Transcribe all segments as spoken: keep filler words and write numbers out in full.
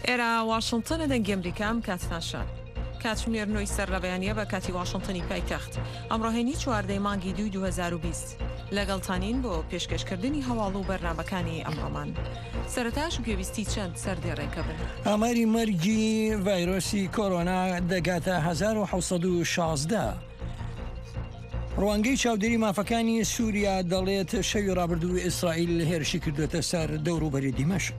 ئێرە واشنگتنە، دەنگی ئەمریکا، ئەم کاتتان شاد. کاتژمێر نۆی سەر لە بەیانیە بە کاتی واشنگتنی پایتەخت. ئەمڕۆ هەینی چواردەی مانگی دووی دوو هەزار و بیست. لەگەڵتانین بۆ پێشکەشکردنی هەواڵ و بەرنامەکانی ئەمڕۆمان. سەرەتاش گوێبیستی چەند سەر دێڕێکە بن. ئاماری مەرگی ڤایرۆسی کۆرۆنا دەگاتە هەزار و حەوت سەد و شازدە. ڕوانگەی چاودێری مافەکانی سووریا دەڵێت شەوی ڕابردوو ئیسرائیل هێرشی کردوێتە سەر دەوروبەری دیمەشق.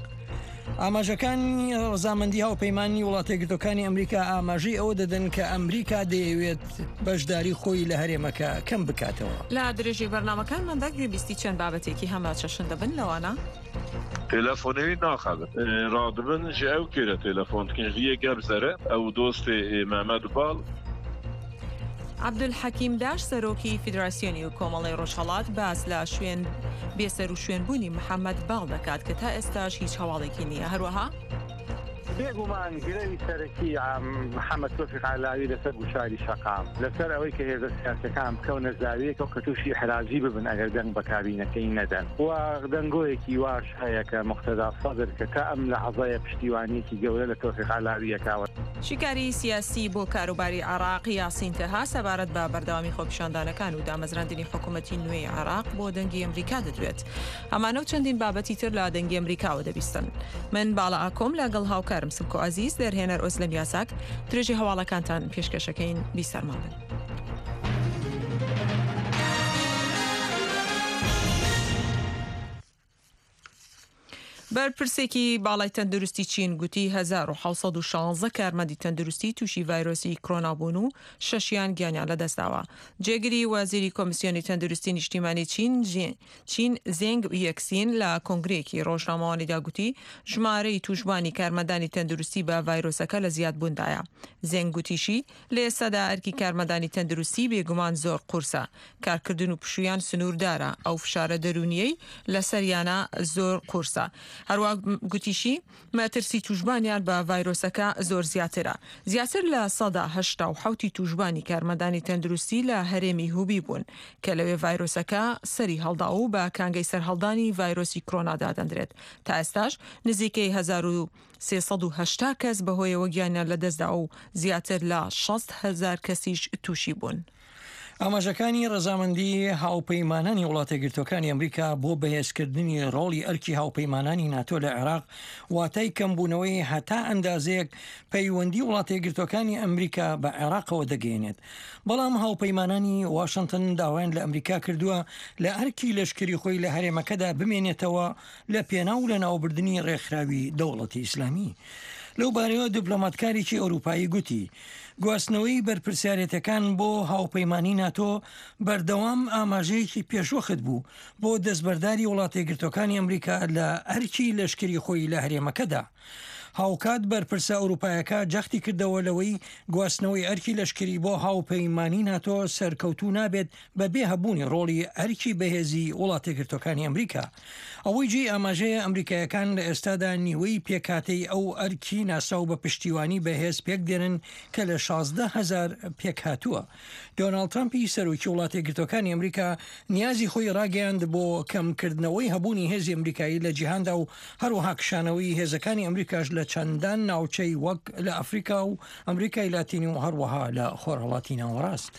ئاماژەکانی ڕەزامەندی هاوپەیمانی وڵاتە یەکگرتوەکانی ئەمریکا ئاماژەی ئەوە دەدەن کە ئەمریکا دەیەوێت بەشداری خۆی لە هەرێمەکە کەم بکاتەوە. لە درێژەی بەرنامەکانماندا گوێبیستی چەند بابەتێکی هەمە چەشن دەبن، لەوانە: تێلەفۆنەوی ناخەبن. ئێ، ڕادبن ژە ئەو کێرە تێلەفۆن دکن ژە یە گەپ زەرە ئەو دۆستێ، ئێ، مەمەد باڵ. عەبدولحەکیم داش، سەرۆکی فیدراسیۆنی و کۆمەڵی ڕۆژهەڵات، باس لە شوێن بێسەر و شوێنبوونی محەممەد باڵ دەکات کە تا ئێستاش هیچ هەواڵێکی نییە. هەروەها بێگومان گرەوی سەرەکی، ئام، محەممەد تۆفیق عەلاوی لەسەر گوشاری شەقام، لەسەر ئەوەی کە هێزە سیاسیەکان بکەونە زاویەکە و کە تووشی حراجی ببن ئەگەر دەنگ بە کابینەکەی نەدەن. و دەنگۆیەکی واش هەیە کە مقتەدا سەدر کە تا ئەم لە عەزایە پشتیوانیەکی گەورە لە تۆفیق عەلاوی یەکاوە. شیکاری سیاسی بۆ کاروباری عێراق، یاسین تەها، سەبارەت بە بەردەوامی خۆپیشاندانەکان و دامەزراندنی حکوومەتی نوێی عێراق بۆ دەنگی ئەمریکا دەدوێت. ئەمانە و چەندین بابەتی تر لە دەنگی ئەمریکاوە دەبیستن. من باڵا ئاکۆم لەگەڵ هاوکارم سمکۆ عەزیز، دەرهێنەر ئۆزلەم یاساک، درێژەی هەواڵەکانتان پێشکەشەکەین، بیسەرمان بن. بەرپرسێکی باڵای تەندروستی چین گوتی هەزار و حەوت سەد و شانزە کارمەندی تەندروستی تووشی ڤایرۆسی کۆرۆنا بوون و شەشیان گیانیان لەدەستداوە. جێگری وەزیری کۆمیسیۆنی تەندروستی نیشتیمانی چین، جی-، چین زێنگ یەکسین، لە کۆنگرەیەکی ڕۆژنامەوانیدا گوتی ژمارەی تووشبووانی کارمەندانی تەندروستی بە ڤایرۆسەکە لە زیادبووندایە. زێنگ گوتیشی لە ئێستادا ئەرکی کارمەندانی تەندروستی بێگومان زۆر قورسە. کارکردن و پشوویان سنووردارە. ئەو فشارە دەروونیەی لەسەریانە زۆر قورسە. هەروەک گوتیشی، مەترسی تووشبانیان بە ڤایرۆسەکە زۆر زیاترە. زیاتر لە سەدا هەشتا و حەوتی تووشبانی کارمەندانی تەندروستی لە هەرێمی هوبی بوون کە لەوێ ڤایرۆسەکە سەری هەڵدا و بە کانگەی سەرهەڵدانی ڤایرۆسی کۆرۆنا دادەندرێت. تا ئێستاش نزیکەی هەزار و سێ سەد و هەشتا کەس بەهۆیەوە گیانیان لەدەستدا و زیاتر لە شەست هەزار کەسیش تووشی بوون. ئاماژەکانی ڕەزامەندی هاوپەیمانانی وڵاتە یەکگرتوەکانی ئەمریکا بۆ بەهێزکردنی ڕۆڵی ئەرکی هاوپەیمانانی ناتۆ لە عێراق واتای کەمبوونەوەی هەتا ئەندازەیەک پەیوەندی وڵاتە یەکگرتوەکانی ئەمریکا بە عێراقەوە دەگەیەنێت. بەڵام هاوپەیمانانی واشنگتن داوایان لە ئەمریکا کردووە لە ئەرکی لەشکری خۆی لە هەرێمەکەدا بمێنێتەوە لە پێناو لە ناوبردنی ڕێکخراوی دەوڵەتی ئیسلامی. لەو بارەیەوە دیپلۆماتکارێکی ئەوروپایی گوتی، گواستنەوەی بەرپرسیارێتەکان بۆ هاوپەیمانی ناتۆ بەردەوام ئاماژەیەکی پێشوەخت بوو بۆ دەستبەرداری وڵاتە یەکگرتوەکانی ئەمریکا لە ئەرکی لەشکری خۆی لە هەرێمەکەدا. هاوکات بەرپرسە ئەوروپایەکە جەختی کردەوە لەوەی گواستنەوەی ئەرکی لەشکری بۆ هاوپەیمانی ناتۆ سەرکەوتوو نابێت بەبێ هەبوونی ڕۆڵی ئەرکی بەهێزی وڵاتە یەکگرتوەکانی ئەمریکا. ئەوەی جێی ئاماژەیە، ئەمریکایەکان لە ئێستادا نیوەی پێکهاتەی ئەو ئەرکی ناساو بە پشتیوانی بەهێز پێک دێنن کە لە شازدە هەزار پێک هاتووە. دۆناڵد ترامپی سەرۆکی وڵاتە یەکگرتوەکانی ئەمریکا نیازی خۆی ڕاگەیاند بۆ کەمکردنەوەی هەبوونی هێزی ئەمریکایی لە جیهاندا و هەروەها کشانەوەی هێزەکانی ئەمریکاش لە چەندان ناوچەی وەک لە ئەفریقا و ئەمریکای لاتینی و هەروەها لە خۆرهەڵاتی ناوەڕاست.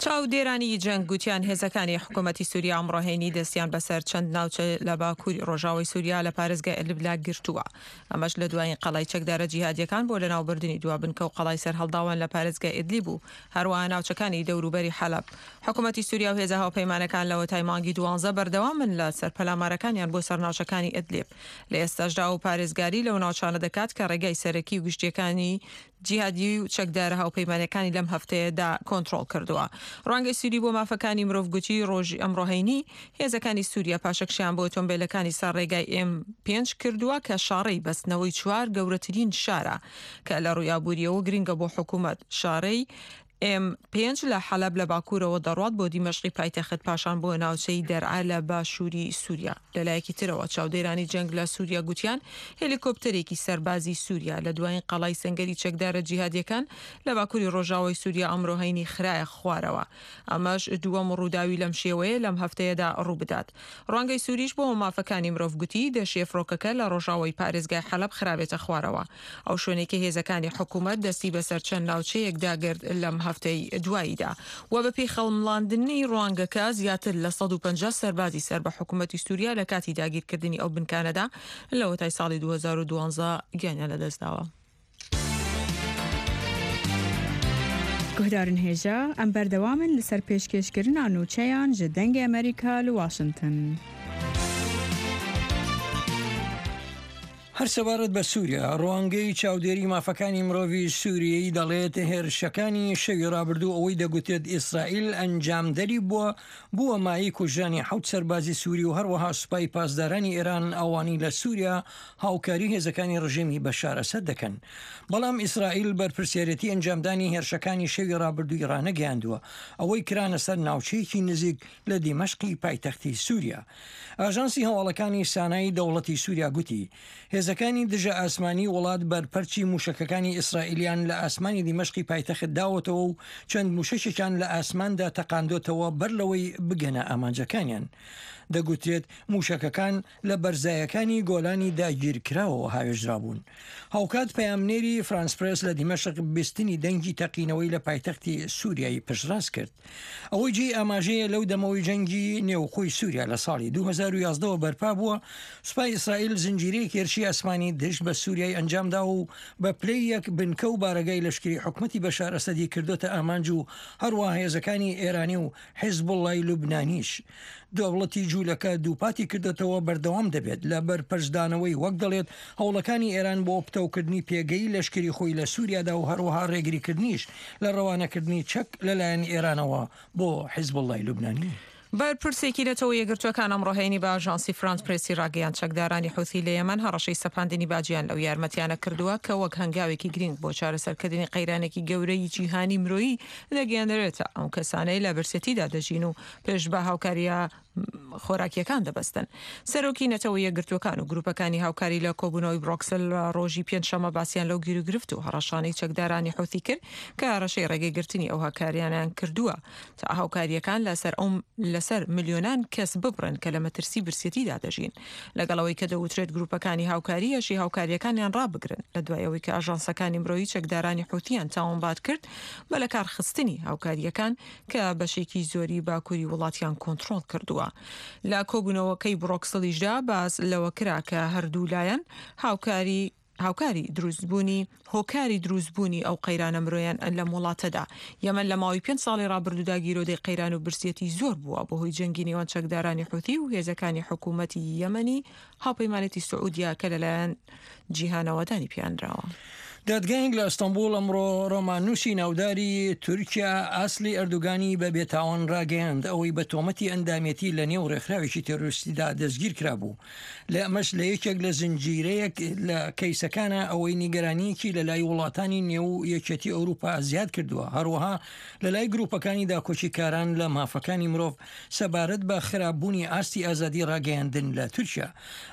چاودێرانی جەنگ گوتیان هێزەکانی حکوومەتی سووریا ئەمڕۆ هەینی دەستیان بەسەر چەند ناوچە لە باکووری ڕۆژاوی سووریا لە پارێزگای ئیدلیب لا گرتووە. ئەمەش لە دوایین قەڵای چەکدارە جیهادیەکان بۆ لەناوبردنی دوا بنکە و قەڵای سەرهەڵداوان لە پارێزگای ئیدلیب و هەروەها ناوچەکانی دەوروبەری حەلەب. حکوومەتی سووریا و هێزە هاوپەیمانەکان لەوەتای مانگی دوانزە بەردەوامن لە سەر پەلامارەکانیان بۆ سەر ناوچەکانی ئیدلیب. لە ئێستاشدا ئەو پارێزگاری لەو ناوچانە دەکات کە ڕێگای سەرەکی و گشتیەکانی جیهادی و چەکدارە هاوپەیمانەکانی لەم هەفتەیەدا کۆنترۆڵ کردووە. ڕوانگەی سووری بۆ مافەکانی مرۆڤ گوتی، ڕۆژی ئەمڕۆ هەینی هێزەکانی سووریا پاشەکشیان بۆ ئۆتۆمبیلەکانی سەر ڕێگای ئێم پێنج کردووە کە شاڕێی بەستنەوەی چوار گەورەترین شارە کە لە ڕووی ئابووریەوە گرنگە بۆ حکوومەت. شاڕێی M پێنج لە حەلەب لە باکوورەوە دەڕوات بۆ دیمەشقی پایتەخت، پاشان بۆ ناوچەی دەرعا لە باشووری سووریا. لەلایەکی ترەوە، چاودێرانی جەنگ لە سووریا گوتیان هێلیکۆپتەرێکی سەربازی سووریا لە دوایین قەڵای سەنگەری چەکدارە جیهادیەکان لە باکووری ڕۆژاوای سووریا ئەمڕۆ هەینی خرایە خوارەوە. ئەمەش دووەم ڕووداوی لەم شێوەیە لەم هەفتەیەدا ڕوو بدات. ڕوانگەی سووریش بۆ مافەکانی مرۆڤ گوتی، دەشێ فڕۆکەکە لە ڕۆژاوای پارێزگای حەلەب خرابێتە خوارەوە. ئەو شوێنەی کە هێزەکانی حکوومەت دەستی بەسەر چەند ناوچەیەکدا گرت لەم هەفتەی دواییدا. و بە پێی خەڵمڵاندنی ڕوانگەکە، زیاتر لە سەد و پەنجا سەربازی سەر بە حکوومەتی سووریا لە کاتی داگیرکردنی ئەو بنکانەدا لە وەتای ساڵی دوو هەزار و دوانزە گیانیان لەدەستداوە. Guhdarên hêja, em berdewam in li ser pêşkêşkirina nûçeyan ji Dengê Amerîka li Washington. هەر سەبارەت بە سووریا، ڕوانگەی چاودێری مافەکانی مرۆڤی سووریەی دەڵێت هێرشەکانی شەوی ڕابردوو ئەوەی دەگوترێت ئیسرائیل ئەنجامدەری بووە، بووە مایەی کوژرانی حەوت سەربازی سووری و هەروەها سوپای پاسدارانی ئێران ئەوانەی لە سووریا هاوکاری هێزەکانی ڕژێمی بەشار ئەسەد دەکەن. بەڵام ئیسرائیل بەرپرسیارەتی ئەنجامدانی هێرشەکانی شەوی ڕابردووی ڕانەگەیاندووە، ئەوەی کرانە سەر ناوچەیەکی نزیک لە دیمەشقی پایتەختی سووریا. ئاژانسی هەواڵەکانی سانای دەوڵەتی سووریا گوتی، هێزەکانی دژە ئاسمانی وڵات بەرپەرچی موشەکەکانی ئیسرائیلیان لە ئاسمانی دیمەشقی پایتەخت داوەتەوە و چەند موشەکێکیان لە ئاسماندا تەقاندۆتەوە بەر لەوەی بگەنە ئامانجەکانیان. دەگوترێت موشەکەکان لە بەرزایەکانی گۆلانی داگیرکراوەوە هاوێژرابوون. هاوکات پەیامنێری فرانس پرێس لە دیمەشق بیستنی دەنگی تەقینەوەی لە پایتەختی سووریای پشتڕاست کرد. ئەوەی جێی ئاماژەیە، لەو دەمەوەی جەنگی نێوخۆی سووریا لە ساڵی دوو هەزار و یازدەوە بەرپا بووە، سوپای ئیسرائیل زنجیرەیەک هێرشی ئاسمانی دژ بە سووریای ئەنجام داوە و بە پلەی یەک بنکە و بارەگای لەشکری حکومەتی بەشار ئەسەدی کردوتە ئامانج و هەروەها هێزەکانی ئێرانی و حیزبوڵڵای لوبنانیش. دەوڵەتی جوولەکە دووپاتی کردوتەوە بەردەوام دەبێت لە بەرپەرچدانەوەی، وەک دەڵێت، هەوڵەکانی ئێران بۆ پتەوکردنی پێگەی لەشکری خۆی لە سووریادا و هەروەها ڕێگریکردنیش لە ڕەوانەکردنی چەک لەلایەن ئێرانەوە بۆ حیزبوڵڵای لوبنانی. بەرپرسێکی نەتەوە یەکگرتوەکان ئەمڕۆ هەینی بە ئاژانسی فرانس پرێسی ڕاگەیاند، چەکدارانی حوثی لە یەمەن هەڕەشەی سەپاندنی باجیان لەو یارمەتیانە کردووە کە وەک هەنگاوێکی گرنگ بۆ چارەسەرکردنی قەیرانێکی گەورەی جیهانی مرۆیی دەگەیەنرێتە ئەو کەسانەی لە برسێتیدا دەژین و پێش بە هاوکاریە خۆراکیەکان دەبەستن. سەرۆکی نەتەوە یەکگرتوەکان و گروپەکانی هاوکاری لە کۆبوونەوەی برۆکسل ڕۆژی پێنجشەمە باسییان لەو گیروگرفت و هەڕەشانەی چەکدارانی حوثی کرد کە هەڕەشەی ڕێگەیگرتنی ئەو هاوکاریانیان کردووە تا هاوکاریەکان لەسەر ئەو لەسەر ملیۆنان کەس ببڕن کە لە مەترسی برسێتیدا دەژین، لەگەڵ ئەوەی کە دەوترێت گروپەکانی هاوکاری یەشی هاوکاریەکانیان ڕابگرن، لە دوای ئەوەی کە ئاژانسەکانی مرۆیی چەکدارانی حوثیان تاوانبار کرد بە لەکارخستنی هاوکاریەکان کە بەشێکی زۆری باکووری وڵاتیان کۆنترۆڵ کردووە. لە کۆبوونەوەکەی برۆکسڵیشدا باس لەوە کرا کە هەردوو لایەن هاوکاری هاوکاری دروستبوونی هۆکاری دروستبوونی ئەو قەیرانە مرۆیان لەم وڵاتەدا. یەمەن لە ماوەی پێنج ساڵی ڕابردوودا گیرۆدەی قەیران و برسیەتی زۆر بووە بەهۆی جەنگی نێوان چەکدارانی حوثی و هێزەکانی حکوومەتی یەمەنی هاوپەیمانێتی سعودیا کە لەلایەن جیهانەوە دانی پیانراوە. دادگایەک لە ئەستەنبوڵ ئەمڕۆ ڕۆماننووسی ناوداری تورکیا ئاسلی ئەردوگانی بە بێتاوان ڕاگەیاند، ئەوەی بە تۆمەتی ئەندامێتی لە نێو ڕێکخراوێکی تێرۆریستیدا دەستگیر کرابوو. لە ئەمەش لە یەکێک لە زنجیرەیەک لە کەیسەکانە، ئەوەی نیگەرانیەکی لە لای وڵاتانی نێو یەکێتی ئەوروپا زیاد کردووە، هەروەها لە لای گروپەکانی داکۆچیکاران لە مافەکانی مرۆڤ سەبارەت بە خراپبوونی ئاستی ئازادی ڕاگەیاندن لە تورکیا.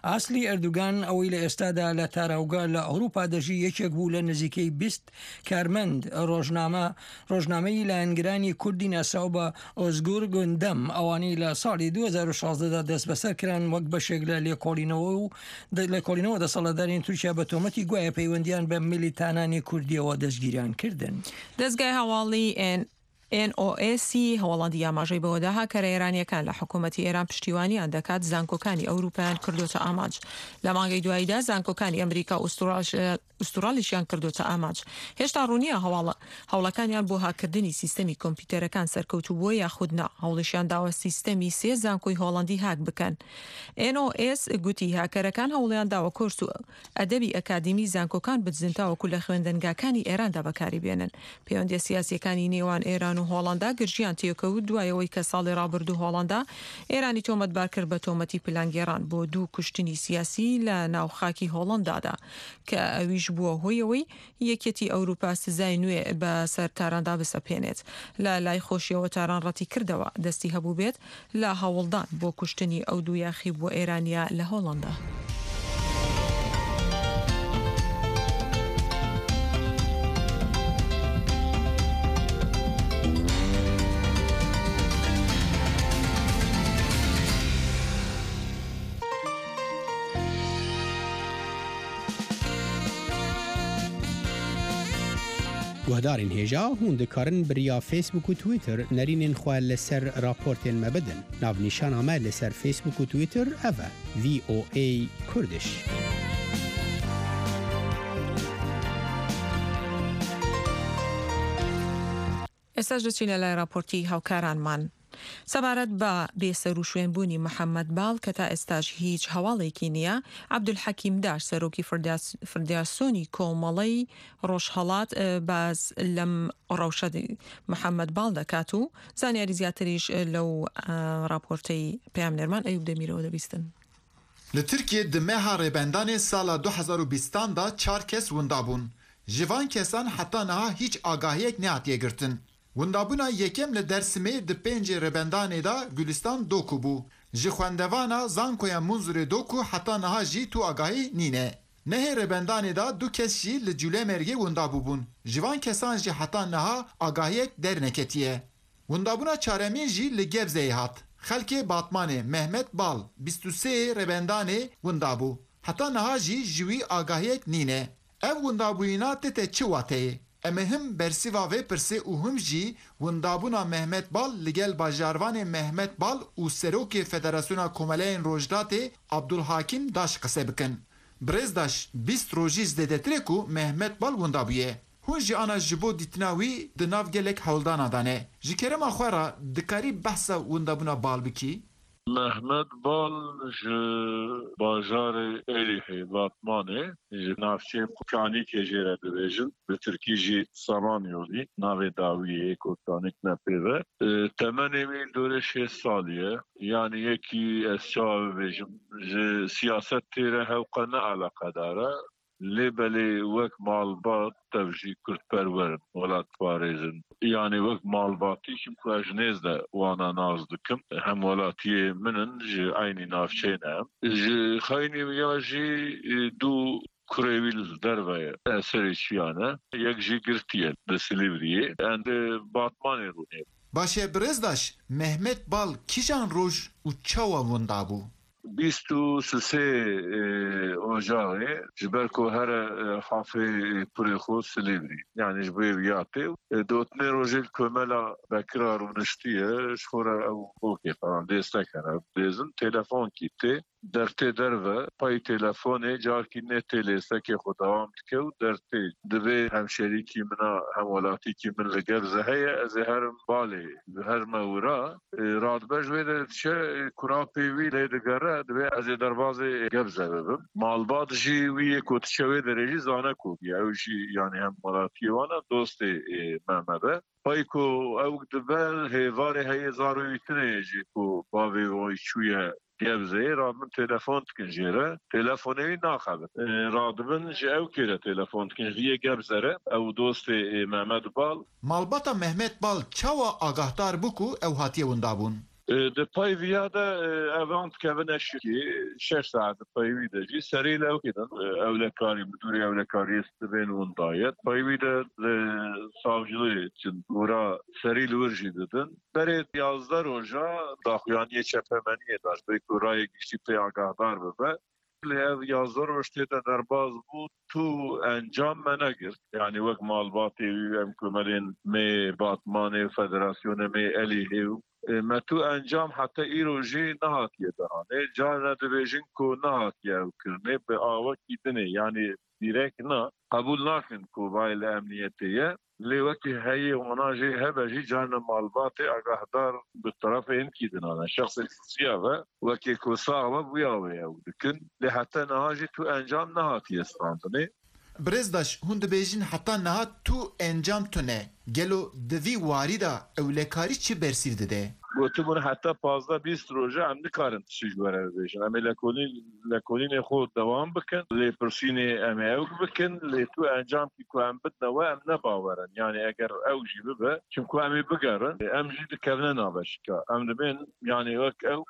ئاسلی ئەردوگان ئەوەی لە ئێستادا لە تاراوگە لە ئەوروپا دەژی، یەکێک بوو لە نزیکەی بیست کارمەند ڕۆژنامە ڕۆژنامەی لایەنگرانی کوردی ناسراو بە ئۆزگور گوندەم، ئەوانەی لە ساڵی دوو هەزار و شازدە دا دەست بەسەر کران وەک بەشێک لە لێکۆڵینەوە و لێکۆڵینەوە دەسەڵاتدارانی تورکیا بە تۆمەتی گوایە پەیوەندیان بە میلیتانانی کوردیەوە دەستگیریان کردن. دەستگای هەواڵی ئێن ئێن ئۆ ئێسی هەوڵاندی ئاماژەی بەوەدا هاکەرە ئێرانیەکان لە حکوومەتی ئێران پشتیوانیان دەکات، زانکۆکانی ئەوروپایان کردوتە ئامانج. لە مانگەی دواییدا زانکۆکانی ئەمریکا و ئوستوراش ئوستورالیشیان کردوتە ئامانج. هێشتا ڕوونیە هەواڵە هەوڵەکانیان بۆ هاکردنی سیستەمی کۆمپیوتەرەکان سەرکەوتوو بووە یاخود نا. هەوڵیشیان داوە سیستەمی سێ زانکۆی هۆڵەندی هاک بکەن. ئێن ئۆ ئێس گوتی هاکەرەکان هەوڵیان داوە کۆرس و ئەدەبی ئەکادیمی زانکۆکان بدزن تاوەکو لە خوێندنگاکانی ئێراندا بەکاری بێنن. پەیوەندیە سیاسیەکانی نێوان ئێران و هۆڵەندا گرژیان تێکەوت دوایەوەی کە ساڵی ڕابردوو هۆڵەندا ئێرانی تۆمەتبار کرد بە تۆمەتی پلانگێڕان بۆ دوو کوشتنی سیاسی لە ناو خاکی هۆڵەندادا کە ئەویش بووە هۆی ئەوەی یەکێتی ئەوروپا سزای نوێ بە سەر تاراندا بسەپێنێت. لە لای خۆشیەوە تاران ڕەتی کردەوە دەستی هەبوو بێت لە هەوڵدان بۆ کوشتنی ئەو دوو یاخی بووە ئێرانیا لە هۆڵەندا. Guhdarên hêja, hûn dikarin bi riya Facebook û Twitter nerînên xwe li ser raportên me bidin. Navnîşana me li ser Facebook û Twitter ev e, V O A Kurdish. ئێستاش دەچینە لای راپۆرتی هاوکارانمان. سەبارەت بە بێسەر و شوێنبوونی محەممەد باڵ کە تا ئێستاش هیچ هەواڵێکی نییە، عەبدولحەکیم داش، سەرۆکی فردیاس-، فردیاسۆنی کۆمەڵەی ڕۆژهەڵات، ئە، باز لەم ڕەوشە دی-، محەممەد باڵ دەکات و زانیاری زیاتریش، ئە، لەو، ئە، راپۆرتەی پەیامنێرمان ئەیوب دەمیرەوە دەبیستن. Li Tirkiyê di meha rêbendanê sala du hezar û bîstan de çar kes winda bûn. Ji van kesan heta niha hîç agahiyek nehatiye girtin. Windabûna yekem li Dersimê di pêncê rêbendanê de Gulistan Doku bû. Ji xwendevana Zankoya Munzurê Doku heta niha jî tu agahî nîne. Nehê rêbendanê de du kes jî li Cûlemêrgê winda bûbûn. Ji van kesan jî heta niha agahiyek derneketiye. Windabûna çaremîn jî li Gebzeyê hat. Xelkê Batmanê Mehmet Bal, bîst û sê rêbendanê winda bû. Heta niha jî ji wî agahiyek nîne. Ev windabûyîna tête çi wateyê? Em ê him bersîva vê pirsê û him jî windabûna Mehmet Bal li gel bajarvanê Mehmet Bal û serokê Federasyona Komeleyên Rojhilatê Abdulhakim Daş qise bikin. Birêz Daş, bîst rojî zêdetir e ku Mehmet Bal winda bûye. Hûn jî ana ji bo dîtina wî di nav gelek hewldana de ne. Ji kerema xwe re dikarî behsa windabûna Bal bikî? Mehmet Bal ji bajarê Êlihê, Batmanê, ji navçeyê Kanîkê jê re dibêjin, bi tirkî jî Samanyolî, navê dawî yê ku Kanîk ne pê ve. E, temenê wî dorê şêst salî ye. Yanî yekî ez çawa bibêjim, ji siyasetê re hewqe ne eleqedar e. Lê belê wek malbat tev jî kurdperwer in, welatparêz in. Yanî wek malbatî kim ku ez ji nêz de wana nas dikim, hemwelatiyê min in, ji eynî navçeyê ne em. Ji xeynî ya jî, e, du kurê wî li derve ye. Eserê çiyan e. Yek jî girtî ye li Silîvriyê. Em di Batmanê rûnê. Baş e, Birêz Daş, Mehmet Bal kîjan roj û çawa winda bû? Bîst û sisê, e, Ocaxê, ji ber ku here, e, hafê, e, kurê xwe Silîvrî. Yanî ji bo vê ya tê. E, dotinê rojê li komela Bekira rûniştiye, ji xwe re ew bokê falan dêstek hene, dêzin, telefon kî tê, dertê derve, payî telefonê, carkî nê tê lêstekê xwe dewam dike û dertê. Divê hemşerîkî min a, hemwelatîkî min li Gebze heye, ez ê herim balê, herime wira. E, radibe ji wê derê diçe, e, kurapê wî lê digere, divê ez ê derbazê Gebze bibim. Malbat jî wî yê ku diçe wê derê jî zane ku bûye. Ew jî, yanî hemwelatiyê wan e, dostê, e, Mehmed e. Pey ku ew dibe, hêvarê heye, zarê wî tune ye jî ku bavê wî çûye Gebzeyê, radibin telefon dikin jê re. Telefonê wî naxebit. E, radibin ji ew kê re telefon dikin, ji vî yê Gebze re. Ew dostê, e, Mehmed Bal. Malbata Mehmet Bal çawa agahdar bû ku ew hatiye windabûn? E, di pey viya de, e, evan dikevine şikê, şeş saet di pey wî de jî serî li ew kê din, e, ewlekarî, midûrê ewlekariyê dibên winda ye. Di pey wî de li savcilê çin, gora serî li wir jî didin. Berê yazdeh roja daxuyaniyê çepemeniyê da, ji ber ku rayê giştî pê agahdar bibe. Lê ev yazdeh roj tê de derbaz bû, tu encam me negirt. Yanî wek malbatê wî, em komelên me Batmanê û Federasyonê me Elîhê û, e, me tu encam heta îro jî nehatiye danê. Carna dibêjin ku nehatiye ew kirinê bi awekî dinê, yanî dîrek na, qebûl nakin ku vayê li emniyetê ye. Lê wekî heyê wana jê hebe jî carna malbatê agahdar bi terefê hinkî dinane. Şexsê şûsiya ve wekî ku sax be bûya wê ew dikin. Lê heta niha jî tu encam nehatiye standinê. Birêz Daş, hûn dibêjin heta niha tu encam tune. Gelo di vî warî de ewlekarî çi bersîv dide? Gotibûn heta pazdeh bîst roj e em nikarin tiştî ji we re bibêjin. Em ê lekolîn-, lekolînê xwe dewam bikin. Lêpirsînê em ê ew bikin. Lê tu encamkî ku em bidine we em ne bawer in. Yanî eger ew jî bibe, çimku em ê bigerin, em jî dikevine navbeşika. Em dibên, yanî wek ew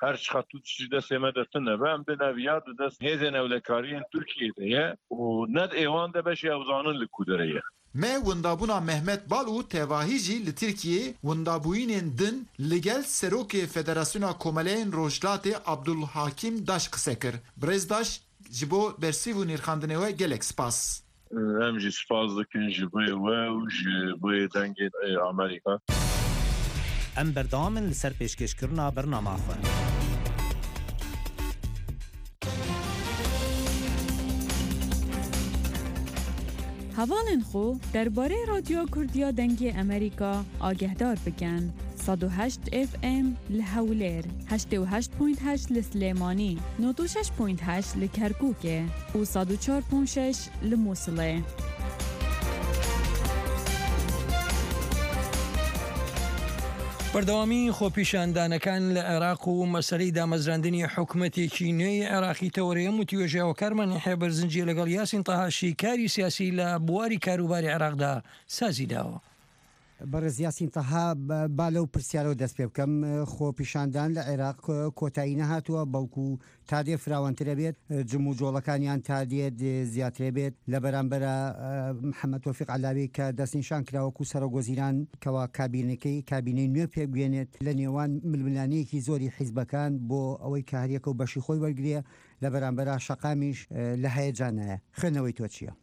her çiqas tu tiştî destê me de tune be, em dêne viya di dest hêzên ewlekariyên Tirkiyê de ye û ne di êwan de beşê ew zanin li ku derê ye. Me windabûna Mehmet Bal û tevahî jî li Tirkiyê windabûyînên din li gel Serokê Federasyona Komeleyên Rojhilatê Abdulhakim Daş qise kir. Birêz Daş, ji bo bersîv û nirxandinê we gelek spas. Em jî spas dikin ji bo we û ji bo dengê, e, Amerîka. Em berdewam in li ser pêşkêşkirina bernama xwe. Hevalên xwe derbarê Radyoya Kurdiya Dengê Amerîka agehdar bikin. Sed û heşt F M li Hewlêr, heştê û heşt point heşt li Silêmanî, nod û şeş point heşt li Kerkûkê û sed û çar point şeş li Mûsilê. بەردەوامی خۆپیشاندانەکان لە عێراق و مەسەلەی دامەزراندنی حکومەتێکی نوێی عێراقی تەوەرەیە، وتیوێژە هۆکارمان یحیە بەرزنجی لەگەڵ یاسین تەها شیکاری سیاسی لە بواری کاروباری عێراقدا سازی داوە. بەڕێز یاسین تەها، با لەو پرسیارەوە دەست پێ بکەم. خۆپیشاندان لە عێراق کۆتایی نەهاتووە، بەڵکو تا دێ فراوانترە بێت، جم و جۆڵەکانیان تا دێ زیاترە بێت. لە بەرامبەرە، محەممەد تۆفیق عەلاوی کە دەستنیشان کراوەکو سەرۆک وەزیران کەوا کابینەکەی، کابینەی نوێ پێبگوێنێت، لە نێوان ململانەیەکی زۆری حیزبەکان بۆ ئەوەی کە هەریەکە و بەشی خۆی وەرگرێ، لە بەرامبەرە شەقامیش لە هەیەجانایە. خوێندنەوەی تۆ چییە؟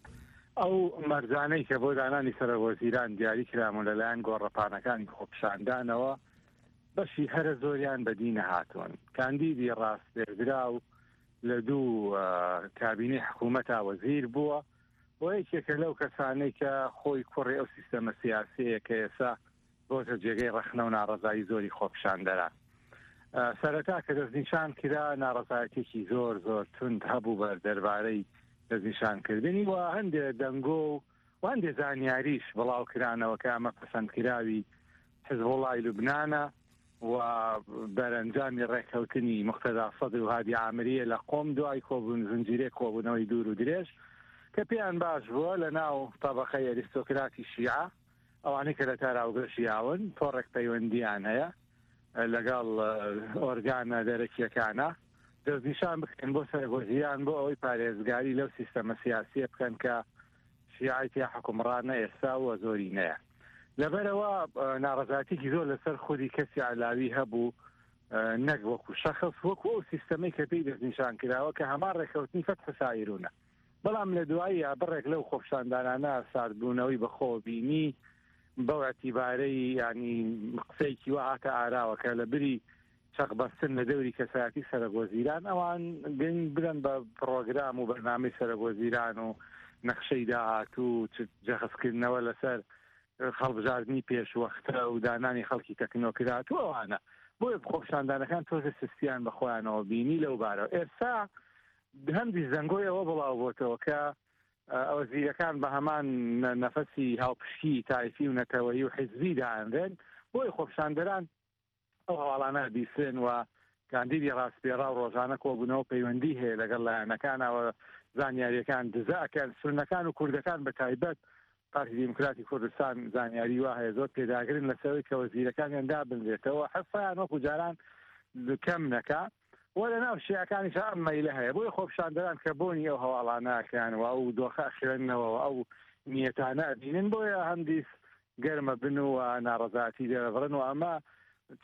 ئەو مەرجانەی کە بۆ دانانی سەرۆک وەزیران دیاری کرامون لەلایەن گۆڕەپانەکانی خۆپیشاندانەوە، بەشی هەرە زۆریان بەدی نەهاتوون. کاندیدی ڕاستێردراو لە دوو، ئە، کابینەی حکوومەتا وەزیر بووە و یەکێکە لەو کەسانەی کە خۆی کوڕی ئەو سیستەمە سیاسیەیە کە ئێستا بۆتە جێگەی ڕەخنە و ناڕەزایی زۆری خۆپیشاندەران. ئە، سەرەتا کە دەستنیشان کرا، ناڕەزایەتێکی زۆر، زۆر توند هەبوو بە دەربارەی دەستنیشانکردنی و هەندێک دەنگۆ و و هەندێک زانیاریش بڵاو کرانەوە کە ئەمە پەسەندکراوی حزبوڵای لوبنانە و دەرەنجامی ڕێککەوتنی مقتەدا سەدر و هادی عامریە لە قۆم دوای کۆبوون، زنجیرەی کۆبوونەوەی دوور و درێژ کە پێیان باش بووە لە ناو تەبەقەی ئەریستۆکراتی شیعە، ئەوانەی کە لە تاراوگە ژیاون، تۆڕێک پەیوەندیان هەیە لەگەڵ، ئە، ئۆرگانە دەرەکیەکانە، دەستنیشان بکەن بۆ سەرگۆزیان، بۆ ئەوەی پارێزگاری لەو سیستەمە سیاسیە بکەن کە شیعەی تیا حکومڕانە ئێستا و زۆرینەیە. لەبەرەوە، ئە، ناڕەزاتیکی زۆر لەسەر خودی کەسی عەلاوی هەبوو، ئە، نەک وەکو شەخص، وەکو ئەو سیستەمەی کە پێی دەستنیشان کراوە کە هەمان ڕێککەوتنی فەتح سایرونە. بەڵام لە دواییە بڕێک لەو خۆپیشاندانانە ساردبوونەوەی بەخۆ بینی، بەو ئەتیبارەی، یعنی، قسەیەکی وا هاتە ئاراوە کە لە بری چەقبەستن لە دەوری کەسایەتی سەرۆک وەزیران، ئەوان گرنگ بدەن بە پڕۆگرام و بەرنامەی سەرۆک وەزیران و نەخشەی داهاتوو و چ جەخسکردنەوە لەسەر هەڵبژاردنی پێشوەختە و دانانی خەڵکی تەکنۆکرات و ئەوانە. بۆیە خۆپیشاندانەکان تۆزێ سستیان بە خۆیانەوە بینی لەو بارەوە. ئێستا هەندی زەنگۆی ئەوە بڵاو بۆتەوە کە، ئە، ئەوە زیرەکان بە هەمان نە-، نەفەسی هاوپشکی تایفی و نەتەوەیی و حیزبی دانرێن. بۆیە خۆپیشاندەران ئەو هەواڵانە بیسن و کاندیدی ڕاستپێڕا و ڕۆژانە کۆبوونەوە پەیوەندی هەیە لەگەڵ لایەنەکانەوە، زانیاریەکان دزە ئەکەن. سونەکان و کوردەکان بە تایبەت پارتی دیموکراتی کوردستان زانیاری وا هەیە، زۆر پێداگرن لەسەوەی کە وەزیرەکانیان دابنرێتەوە، حەسەیان وەکو جاران کەم نەکا. و لە ناو شیعەکانیش ئەم مەیلە هەیە. بۆیە خۆپیشاندەران کە بۆنی ئەو هەواڵانە ئەکەن و ئەو دۆخە ئەخوێننەوە و ئەو نیەتانە ئەبینن، بۆیە هەندیس گەرمە بن و ناڕەزاتی دەرەبڕن و ئەمە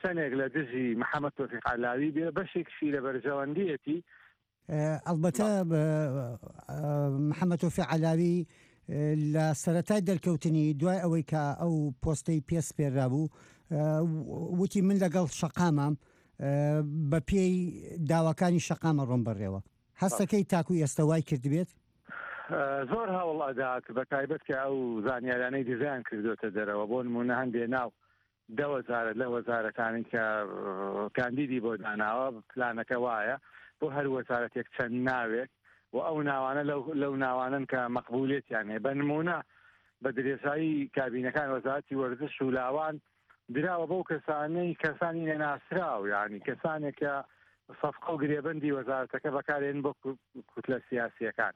چەندێک لە دژی محەممەد تۆفیق عەلاوی بێ، بەشێکشی لە بەرژەوەندیەتی. ئە، ئەلبەتە، ئە، ئە، محەممەد تۆفیق عەلاوی، ئە، لە سەرەتای دەرکەوتنی، دوای ئەوەی کە ئەو پۆستەی پێ سپێررا بوو، ئە، وتی: «من لەگەڵ شەقامام، ئە، بە پێی داواکانی شەقامە ڕۆم بەڕێوە.» هەستەکەی تاکو ئێستا وای کردبێت؟ ئە، زۆر هەوڵ ئەدات، بە تایبەت کە ئەو زانیارانەی دزیان کردوتە دەرەوە. بۆ نمونە هەندێ ناو دە وەزارەت لە وەزارەتانی کە، ئە، کاندیدی بۆ داناوە، پلانەکە وایە بۆ هەر وەزارەتێک چەند ناوێک و ئەو ناوانە لەو، لەو ناوانن کە مەقبولیەتیان هەیە. بە نمونە بە درێژایی کابینەکان وەزارەتی وەرزش و لاوان دراوە بەو کەسانەی، کەسانی نەناسراو، یعنی کەسانێک کە سەفقە و گرێبەندی وەزارەتەکە بەکارێن بۆ کو-، کوتلە سیاسیەکان.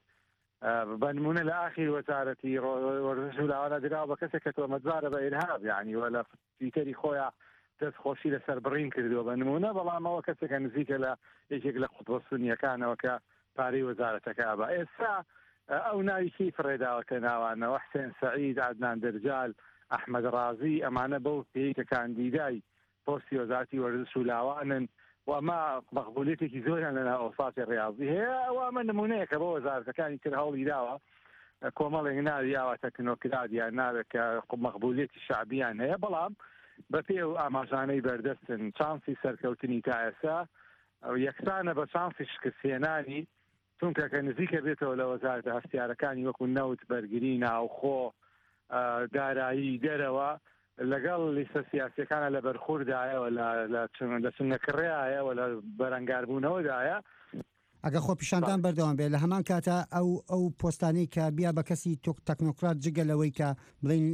ئە، بە نمونە لە ئاخیر وەزارەتی ڕۆ-، وەرزش و لاوانە دراوە بە کەسێک کە تۆمەتبارە بە ئیرهاب، یعنی، وە لە تویتەری خۆیان دەستخۆشی لەسەر بڕین کردووە بە نمونە، بەڵام ئەوە کەسێکە نزیکە لە یەکێک لە قوتبە سونیەکانەوە کە پارەی وەزارەتەکە ئەبا. ئێستا، ئە، ئەو ناوی کەی فڕێداوەتە ناوانەوە، حسێن سەعید، عەدنان دەرجال، ئەحمەد ڕازی، ئەمانە بەو پێی کە کاندیدای پۆستی وەزارەتی وەرزش و لاوانن و ئەمە مەقبولیتێکی زۆریان لە ناو ئەوسافی ڕیاضی هەیە. ئەوە ئەمە نمونەیەکە بۆ وەزارەتەکانی تر هەوڵی داوە کۆمەڵێک ناوی یاوە تەکنۆکرات یان ناوێک کە مەقبولیەتی شعبیان هەیە، بەڵام بە پێ و ئاماژانەی بەردەستن چانسی سەرکەوتنی تا ئێستا یەکسانە بە چانسی شکستهێنانی، چونکە کە نزیکە بێتەوە لە وەزارەتە هەستیارەکانی وەکو نەوت، بەرگری، ناوخۆ، ئە، دارایی دەرەوە، لەگەڵ لیستە سیاسیەکانە لە بەرخوردایەوە، لە، لە چن-، لە چنگەکڕێایەوە، لە بەرەنگاربوونەوەدایە. ئەگە خۆپیشاندان بەڵێ. بەردەوام بێت، لە هەمان کاتە ئەو، ئەو پۆستانەی کە بیا بە کەسی تۆک-، تەکنۆکرات، جگە لەوەی کە بڵین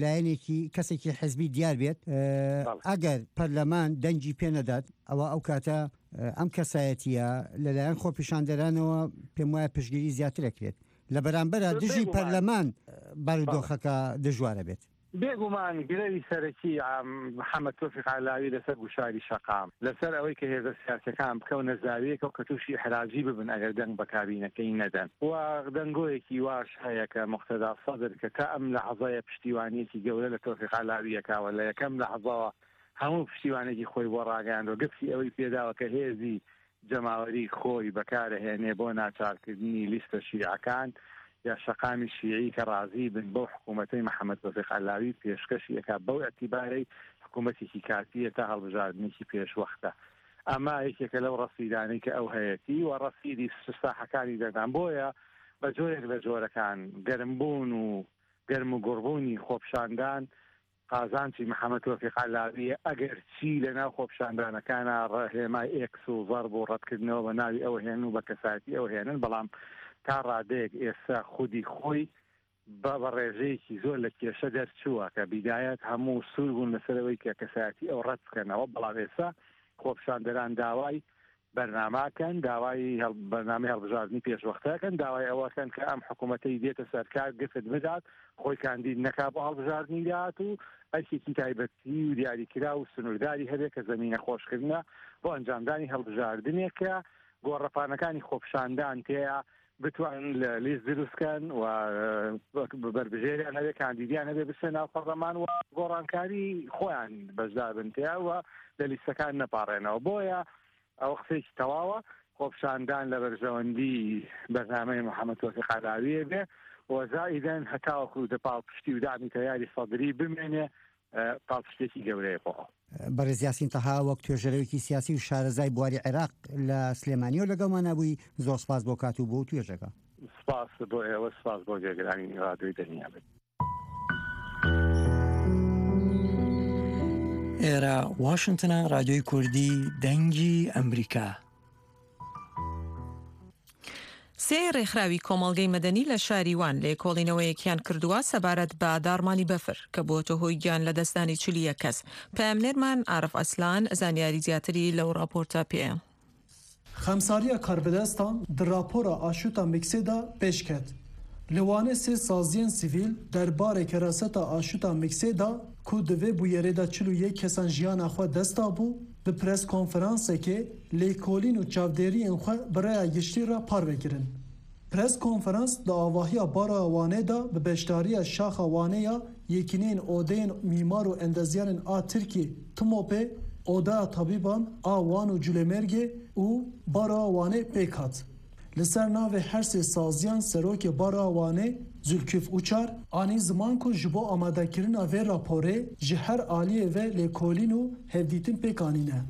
لایەنێکی، کەسێکی حزبی دیار بێت، ئە، بەڵێ. ئەگەر پەرلەمان دەنگی پێ نەدات، ئەوە ئەو کاتە، ئە، ئەم کەسایەتیە لەلایەن خۆپیشاندەرانەوە پێم وایە پشگیری زیاتر ئەکرێت. لە بەرامبەرە دژی بێگومان. پەرلەمان، ئە، بارودۆخەکە دژوارە بێت. بێگومان گرەوی سەرەکی، ئام، محەممەد تۆفیق عەلاوی لەسەر گوشاری شەقام، لەسەر ئەوەی کە هێزە سیاسیەکان بکەونە زاویەکە و کە تووشی ئحراجی ببن ئەگەر دەنگ بە کابینەکەی نەدەن. و دەنگۆیەکی واش هەیە کە مقتەدا سەدر کە تا ئەم لەحەزەیە پشتیوانیەکی گەورە لە تۆفیق عەلاویەکاوە، لە یەکەم لەحەزەوە هەموو پشتیوانێکی خۆی بۆ ڕاگەیاندوە، گفتی ئەوەی پێداوە کە هێزی جەماوەری خۆی بەکارەهێنێ بۆ ناچارکردنی لیستە شیعەکان یا شەقامی شیعی کە ڕازی بن بەو حکوومەتەی محەممەد تۆفیق عەلاوی پێشکەشی ئەکا، بەو ئەتیبارەی حکوومەتێکی کاتیە تا هەڵبژاردنێکی پێشوەختە. ئەمە یەکێکە لەو ڕەسیدانەی کە ئەو هەیەتی و ڕەسیدی ساحەکانی دەردان. بۆیە بە جۆرێک لە جۆرەکان گەرمبوون و گەرم و گوڕبوونی خۆپشاندان قازانجی محەممەد تۆفیق عەلاویە، ئەگەر چی لە ناو خۆپشاندانەکانە ڕێهێمای ئێکس و ضرب و ڕەتکردنەوە بە ناوی ئەو هێن و بە کەسایەتی ئەو هێنن، بەڵام تا ڕادەیەک ئێستا خودی خۆی بە، بە ڕێژەیەکی زۆر لە کێشە دەرچووە کە بیدایەت هەموو سوور بوون لەسەرەوەی کە کەسایەتی ئەو ڕەت بکەنەوە، بەڵام ئێستا خۆپشاندەران داوای بەرناماکەن، داوای هەڵ-، بەرنامەی هەڵبژاردنی پێشوەختەکەن، داوای ئەوەکەن کە ئەم حکوومەتەی دێتە سەرکار گفت بدات، خۆی کاندید نەکا بۆ هەڵبژاردنی داهات و ئەرکێکی تایبەتی و دیاریکرا و سنوورداری هەبێ کە زەمینە خۆشکردنە بۆ ئەنجامدانی هەڵبژاردنێک کە گۆڕەپانەکانی خۆپشاندان تێیە بتوانن لە لیست دروستکەن و، ئە، بەربژێریان هەبێ، کاندیدیان هەبێ بچنە ناو پەرلەمان و گۆڕانکاری خۆیان بەشدار بن تێیا و لە لیستەکان نەپاڕێنەوە. بۆیە ئەوە قسەیەکی تەواوە، خۆپشاندان لە بەرژەوەندی بەرنامەی محەممەد تۆفیق عەلاویە بێ و زائیدەن هەتاوەکو دە پاڵپشتی و دامی تەیاری سەدری بمێنێ، ئە، پاڵپشتێکی گەورەیە بۆ ئەو. بەڕێز یاسین تەها، وەک توێژەرەوەیەکی سیاسی و شارەزای بواری عێراق لە سلێمانیەوە لەگەڵمانە بووی، زۆر سپاس بۆ کات و بۆ توێژەکە. سپاس بۆ ئێوە، سپاس بۆ جێگرانی ڕادیۆی دەنیا بێت. ئێرە واشنتنە، ڕادیۆی کوردی، دەنگی ئەمریکا. سێ ڕێکخراوی کۆمەڵگەی مەدەنی لە شاری وان لێکۆڵینەوەیەکیان کردووە سەبارەت بە داڕمانی بەفر کە بووەتە هۆی گیان لە دەستدانی چل و یەک کەس. پەیامنێرمان عارف ئەسلان زانیاری زیاتری لەو راپۆرتە پێ. Xemsariya karbidestan di rapora aşûta Miksê de pêş ket. Li Wanê sê saziyên sivîl derbarê keraseta aşûta Miksê de ku di vê bûyerê de çil û yek kesan jiyana xwe dest dabû, bi preskonferansekê lêkolîn û çavdêriyên xwe bi rêya giştî re parve kirin. Preskonferans di avahiya Baroya Wanê de bi beşdariya Şaxa Wanê ya Yekîneyên Odeyên Mîmar û Endezyanên a Tirkî, TMOPê, Odaya Tabîban a Wan û Culêmêrgê û Baroya Wanê pêk hat. Li ser navê her sê saziyan Serokê Baroya Wanê Zülküf Uçar anî ziman ku ji bo amadekirina vê raporê ji her aliyê ve lêkolîn û hevdîtin pêk anîne.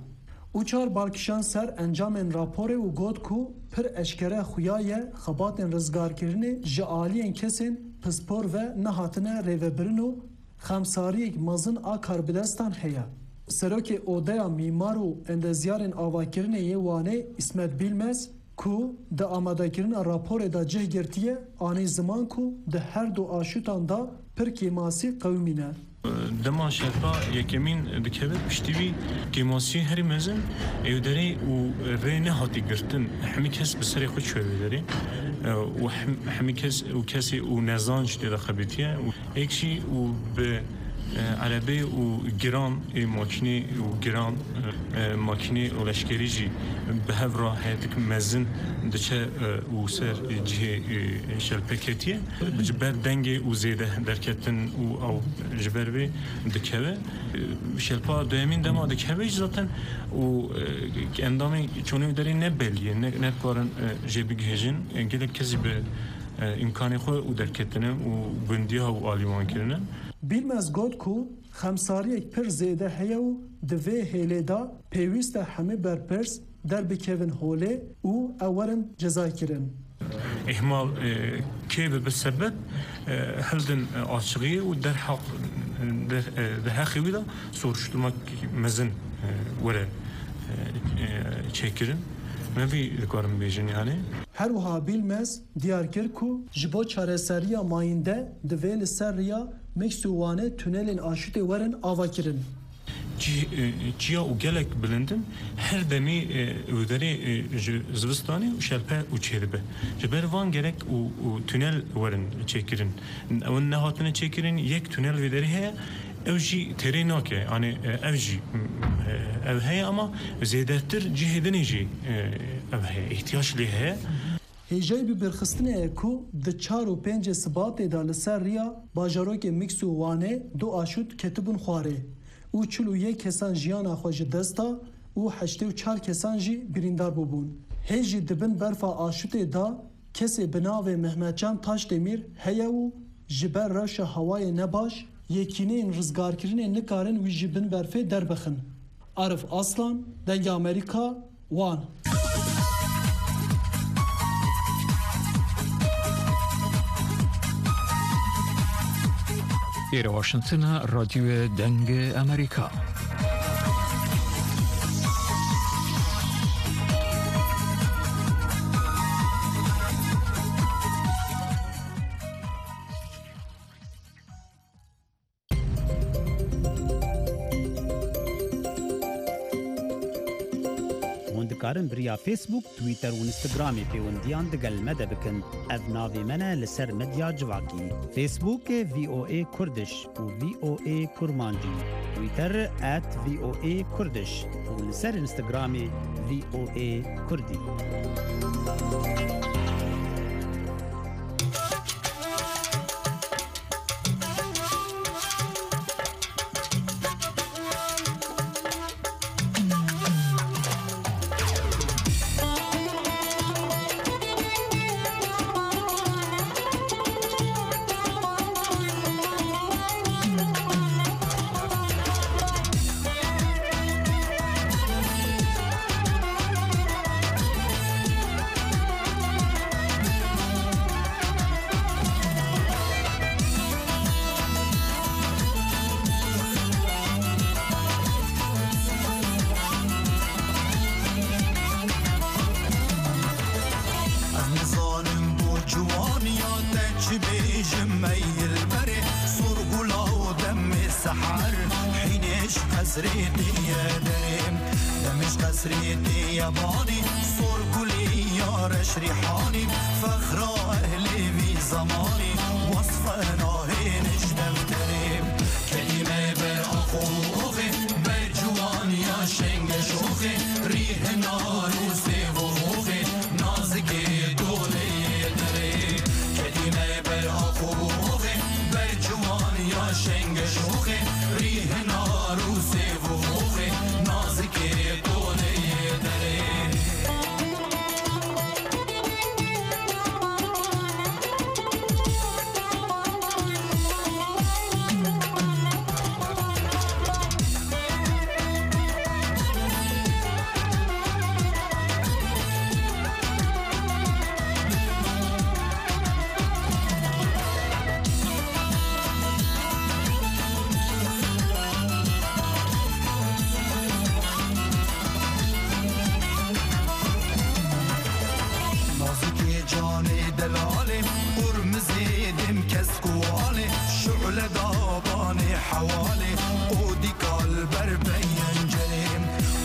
Uçar bal kişand ser encamên raporê û got ku pir eşkere xuya ye xebatên rizgarkirinê ji aliyên kesên pispor ve nehatine rêvebirin û xemsariyek mezin a karbidestan heye. Serokê Odeya Mîmar û Endezyarên Avakirinê yê Wanê Îsmet Bilmez ku di amadekirina raporê de cih girtiye, anî ziman ku di her du aşûtan de pir kêmasî qewimîne. Dema şerpa yekemîn dikeve, piştî vî kêmasiyê herî mezin ê wê derê û rê nehatî girtin. Hemî kes bi serê xwe çûye wê derê. E, û hem-, hemî kes û kesê û nezanc tê de xebitiye. Û êk jî û bi, e, erebê û giran ê makînê û giran, e, makînê û leşkerî jî bi hev re heyetik mezin diçe, e, û ser cihê, e, şerpê ketiye. Ji ber dengê û zêde derketin û ew ji ber vê dikeve. Şerpa duyemîn dema dikeve jî zaten û, e, endamê çonê wê derê ne belî ye, ne, ne dikarin, e, jê bigihêjin. E, gelek kes jî bi, e, îmkanê xwe û derketine û gundiya û alî wan kirine. Bilmez got ku xemsariyek pir zêde heye û di vê hêlê de pêwîst e hemî berpirs derbikevin holê û ew werin cezaykirin. Îhmal, e, kê bibe sebeb, e, hildin, e, açixiyê û derheq, e, der, e, di heqê wî de soruşturmak mezin, e, were, e, e, çêkirin. Me vî dikarim bêjin yani. Her wiha Bilmez diyar kir ku ji bo çareseriya mayînde divê li ser riya Miks û Wanê tunelên aşûtê werin avakirin. Çi-, e, çiya û gelek bilind in. Her demî, e, wê derê, e, ji zivistanê û şerpe û çêdibe. Ji ber van gerek û, û tunel werin çêkirin. Ew nehatine çêkirin, yek tunel wê derê heye. Ew jî têrê nake. Yanî, e, ev jî, m, e, ev heye ama zêdetir cihê dinê jî, e, ev heye. Îhtiyac lê heye. Hêjayî bi birxistinê ye ku di çar û pêncê Sibatê de li ser riya bajarokê Miks û Wanê du aşût ketibûn xwarê û çil û yek kesan jiyana xwe ji dest da û heştê û çar kesan jî birîndar bûbûn. Hê jî di bin berfa aşûtê de kesê bi navê Mehmetcan Taşdemîr heye û ji ber rewşa hewayê nebaş, yekîneyên rizgarkirinê nikarin wî ji bin berfê derbixin. Arif Aslan, Dengê Amerîka, Wan. Êre Washington e, Radyoya Dengê Amerîka. Hûn dikarin bi riya Facebook, Twitter û Instagramê pêwendiyan digel me de bikin. Ev navê me ne li ser medya civakî. Facebook, V O A Kurdish û V O A Kurmancî. Twitter at V O A Kurdish û li ser Instagramê V O A Kurdî. Ez nizanim bo ciwaniya te çi bêjim, ey dilberê, sorgula û demê seher, hînê ji qesrê tê ye derê. Demê ji qesrê tê ye banî, sorgulî ya reş rîhanî, fexra ehlê vî zemanî, wesfe nahêne ji defterê. Kedî me ber ax û oxê, ber ciwaniya şenge şoxê, rî hinar û sêv û oxê, nazikê doleyê derê. Kedî me ber ax û oxê, ber ciwaniya şenge şoxê, rî hinar û sêv û oxê, nazikê doleyê derê. Nazikê canê delalê, qurmizê dêm kesk û alê, şule dabanê Hewalê qodî kal ber pencerê.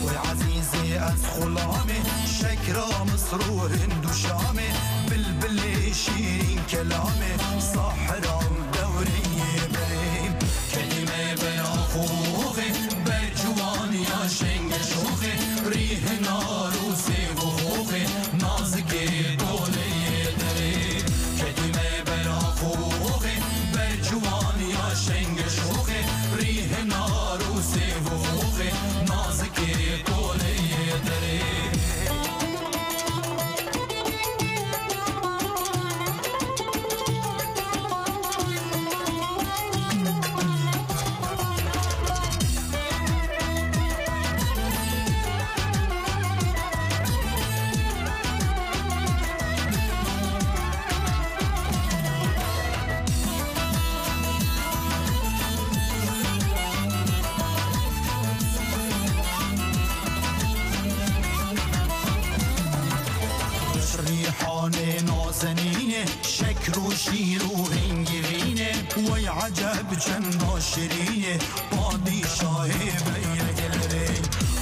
Oy ezîzê ez xulamê, şekra Misr û Hind û Şamê, bilbilê şîrîn kelamê, sahra û dewreyê berê. Kedî me ber axoxê, ber ciwaniya şenge şoxê, rî hinar û sêv û xoxê, nazikê toleyê derê. Kedî me ber axoxê, ber ciwaniya şenge şoxê, rî hinar û sêv û xoxê, nazikê toleyê derê. Rîhanê nazenînê, şekr û şîr û hingivînê, wey eceb çenda şirînê, padîşahê beyeglerê,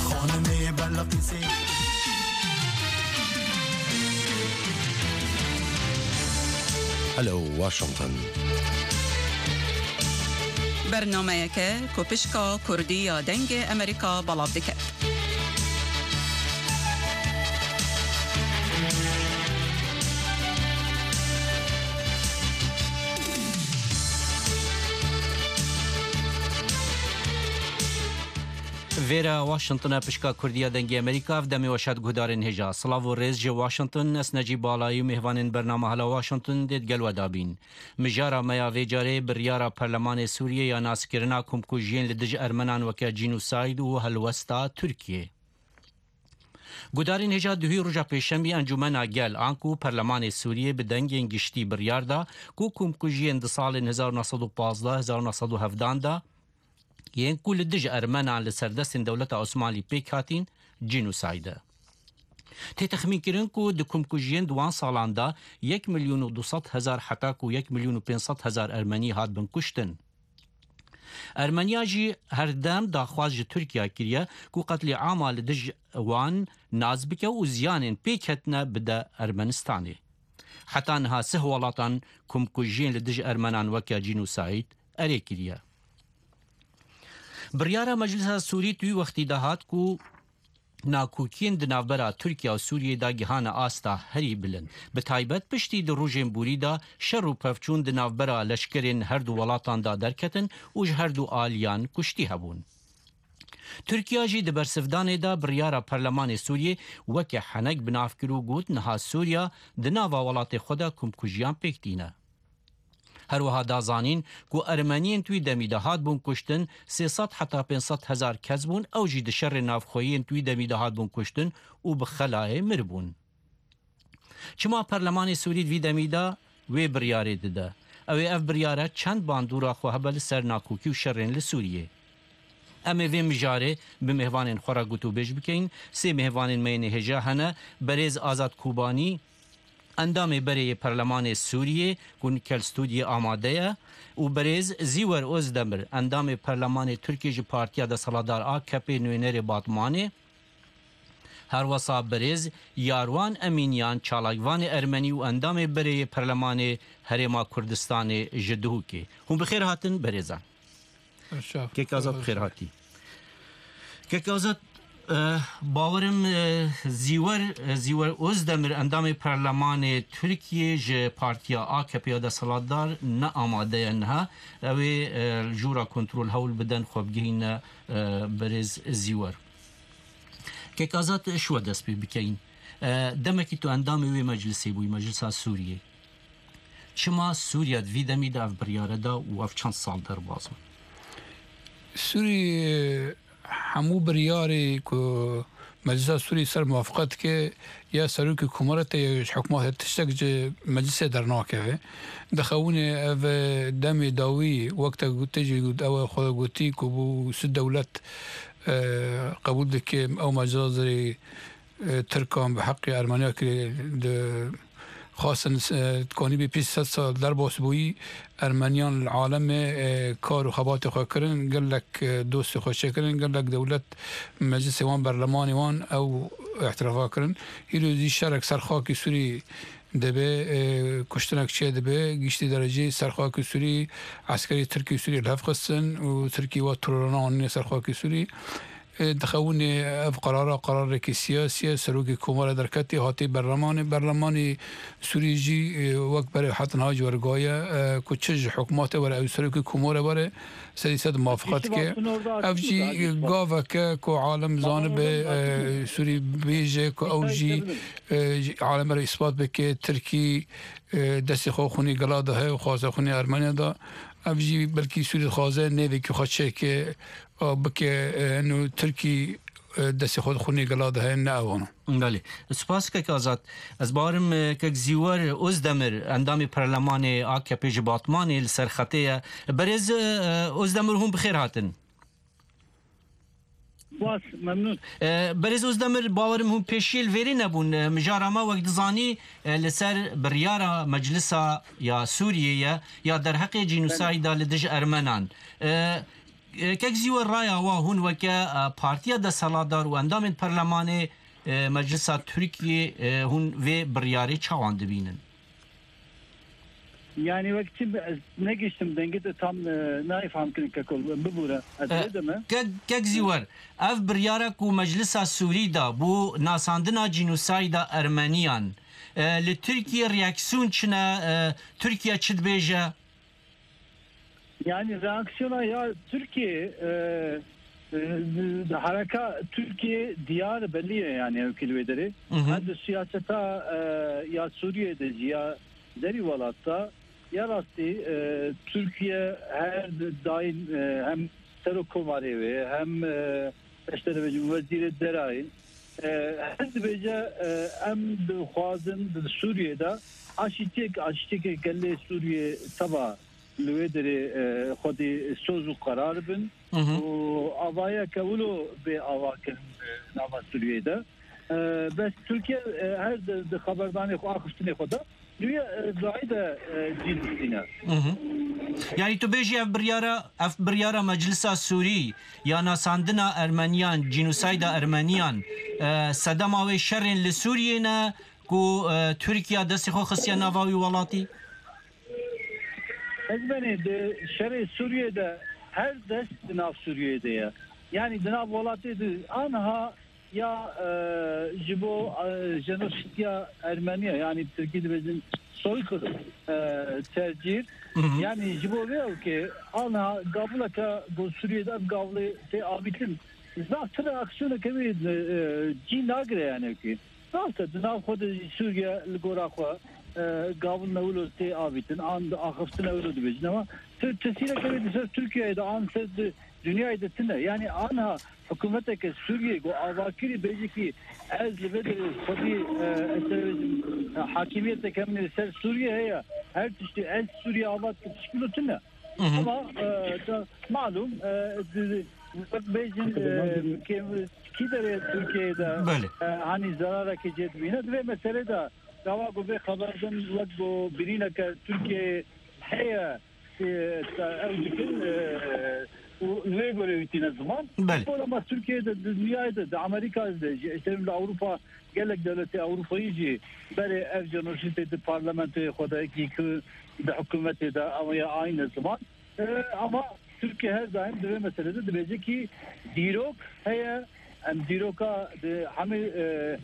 xanimê Belqîsê. Hello Washington. Bernameyeke ku pişka Kurdî ya Dengê Amerîka belav dike. Vêre Washington e, pişka Kurdî ya Dengê Amerîka, ev demê we şad guhdarên hêja. Silav û rêz ji Washington, ez Necîb Balayî û mêvanên bernama Hala Washington dê digel we dabîn. Mijara me ya vê carê biryara Perlemanê Sûriyê ya naskirina komkujiyên li dij Ermenan weke cînosayd û helwesta Tirkiyê. Gudarên hêja, duhî roja pêşemî Encûmena Gel, anku Perlemanê Sûriyê bi dengên giştî biryar da ku komkujiyên di salên hezar û neh sed û pazdeh, hezar û neh sed û hevdan de yên ku li dij Ermenan li ser destên dewleta Osmanlî pêk hatîn, cînosayd e. Tê texmînkirin ku di komkujiyên di wan salan de yek milyon û du sed hezar heta ku yek milyon û pênc sed hezar Ermenî hatibin kuştin. Ermeniya jî herdem daxwaz ji Tirkiye kiriye ku qetlîama li dij wan nas bike û ziyanên pêk hatine bide Ermenistanê. Heta niha sih welatan komkujiyên li dij Ermenan weke cînosayd erê kiriye. Biryara Meclisa Sûrî di wî wextî de hat ku nakokiyên di navbera Tirkiye û Sûriyê de gihane asta herî bilind. Bi taybet piştî di rojên borî de şer û pevçûn di navbera leşkerên her du welatan de derketin û ji her du aliyan kuştî hebûn. Tirkiye jî di bersivdanê de biryara Perlemanê Sûriyê weke henek bi nav kir û got, niha Sûriya di nava welatê xwe de komkujiyan pêk tîne. Her wiha da zanîn ku Ermeniyên di wî demî de hatibûn kuştin sê sed heta pênc sed hezar kes bûn, ew jî di şerên navxweyî yên di wî demî de hatibûn kuştin û bi xelayê miribûn. Çima Perlemanê Sûrî di vî demî de wê biryarê dide? Ew ê ev biryare çend bandora xwe hebe li ser nakokî û şerên li Sûriyê. Em ê vê mijarê bi mêvanên xwe re gotûbêj bikeyin. Sê mêvanên me yên hêja hene, berêz Azad Kobanî, endamê berê yê Perlemanê Sûriyê ku nikel stûdiyê amade ye, û berêz Zîwer Ozdemir, endamê Perlemanê Tirkiyê ji Partiya Desthilatdar A K P, nûnerê Batmanê. Her wesa berêz Yarwan Emînyan, çalakvanê ermenî û endamê berê yê Perlemanê Herêma Kurdistanê ji Duhokê. Hûn bi xêr hatin berêzan. Kek Azad, bi xêr hatî. Kek Azad, eh, bawerim, eh, Zîwer, eh, Zîwer Ozdemir, endamê Perlemanê Tirkiyê ji Partiya A K P ya desthilatdar ne amade ye niha. Ew ê, eh, li jûra kontrol hewl bidin xwe bigihîne, eh, berêz Zîwer. Kek Azad, ji we dest pê bikeyin. Eh, demekî tu endamê wê meclisê bûyî, Meclisa Sûriyê. Çima Sûriya di vî demî de ev biryare da û ev çend sal derbas bû? Sûrî, hemû biryarê ku Meclisa Sûrî ser muwafiqet dike, ya serokê komaretê ya ji hikûmetê tiştek ji meclisê dernakeve. Dixewine ev demê dawî wek te got, te jî got, ew xwe gotî ku bû si dewlet, e, qebûl dike ew mecazirê, e, Tirkan bi heqê Ermeniya kirê di xastin, e, dikanî bê pênc sed sal derbas bûyî, Ermeniyan li alemê, e, kar û xebatê xwe kirin, gelek, e, dostê xwe çêkirin, gelek dewlet meclisê wan, berlemanê wan ew îtirafa kirin. Îro jî şerek ser xakê Sûrî dibe, e, kuştinek çê dibe, giştî dereceyê ser xakê Sûrî, eskerê Tirkî û Sûrî li hev xistin û Tirkî wa terorana anîne ser xakê Sûrî. E, dixewinê ev qerara, qerarekî siyasî ye, serokê komara derketî, hatî berlemanê. Berlemanê Sûrî jî, e, wek berê hetin ha ji wergaye, e, ku çi ji hikûmetê were, ew serokê komara were, sedî sed muwafiqet dike. Ev jî gaveke ku alem zanibe, e, Sûrî bêje ku ew jî, e, ji aleme re îspat bike, Tirkî, e, destê xwe xwînê gela de heye û xwaze xwînê Ermeniya de. Ev jî belkî Sûrî dixwaze nêvekî xwe çêke, a, bike, e, eno Tirkî, e, destê xwe di xwînê gela de heye, ne ewana. Belê. Spas kek Azad. Ez bawerim, e, kek Zîwer Ozdemir, endamê perlemanê A K P ji Batmanê li ser xetê ye. Berêz, e, Ozdemir, hûn bi xêr hatin. Spas, memnûn. E, Berêz Ozdemir, bawerim hûn pêşiyê li vêrê nebûn. E, mijara me wek dizanî, e, li ser biryara Meclisa ya Sûriyê ye, ya derheqê cînosayda li dij Ermenan. E, e, kek Zîwer, raya we, hûn weke, e, partiya desthilatdar û endamên perlemanê, e, Meclisa Tirkiyê, e, hûn vê biryarê çawan dibînin? Yani wek çi bi-, ez negiştim dengê te tam, e, nayê fam kirin keko, bibûre. Ez E, rê de me. Kek, kek Zîwer, ev biryara ku Meclisa Sûrî da bo nasandina cînosayda Ermeniyan, e, li Tirkiye reaksiyon çi ne, e, Tirkiye çi dibêje? Yani reaksiyona ya Tirkiye, e, e, hareka Tirkiye diyar belli ye yani ew ki li wê derê. Hı hı. Her di siyaseta, e, ya Sûriye de jî ya derî welat de ya rastî, e, Tirkiye her daim, e, hem serokkomarê wê hem, e, ez te dibêjim wezîrê derayê, e, her dibêje, e, em dixwazin di Sûriyê de aşîtiyek, aşîtiyeke gelê Sûriyê teva li wê derê, e, xwedî soz û qerar bin Hı hı. û avayeke wilo bê ava kirin, e, nava Sûriyê de. E, bes Tirkiye, e, her di, di xeberdanê xwe, axiftinê xwe de, duye, e, gahî de, e, cî distîne. Hı hı. Yani tu bêjî ev biryara, ev biryara Meclisa Sûrî ya nasandina Ermeniyan, cînosayda Ermeniyan, e, sedema wê şerên li Sûriyê ne ku, e, Tirkiye destê xwe xistiye nava wî welatî? Ez benê di şerê Sûriyê de her dest di nav Sûriyê de ye. Yani di nav welatê de anha ya, e, ji bo, e, jenosîdya Ermeniya, yani bi Tirkî dibêjin soykırım, e, tercîr. Hı hı. Yani ji bo vê ew ke anha gavuleke bo Sûriyê de ev gavulê tê avîtin. Zaf tune aksiyoneke wê, e, cî nagire yani ki. Rast e, di nav xwe de jî Sûriye li gora xwe, e, gavil ne wilo tê avîtin, an di axiftin ne wilo dibêjin. Ama tu tesîreke wê di ser Tirkiyeyê de an ser di dinyayê de tune. Yani anha hikûmeteke Sûriyê ku avakirî bêjî ki ez li vê derê xwedî, e, ez te bêjim, e, hakimiyeteke min li ser Sûriye heye. Her tiştê ez Sûriye ava dike tişkilo tune. Hı hı. Ama, e, da, malum, e, di, di, wek bêjin, e, ke, kî derê Tirkiyeyê de, Belê. e, hani zerarekê cê dibîne. Di vê meselê de gava ku vê xeber din wek ku birîneke Tirkiyeyê heye, e, te ew dikin, e, û li vê gorê wî tîne ziman. Belê. Ama Tirkiyeyê de, di dinyayê de, di Amerîka de jî, işte li Ewropa, gelek dewletê Ewropayî jî berê ev jenosîdê di parlamentoyê xwe de, ki, ki di hikûmetê de, ew ya ayne ziman. E, ama Tirkiye her daim di vê meselê de dibêje ki dîrok heye, em dîroka di hemî, e,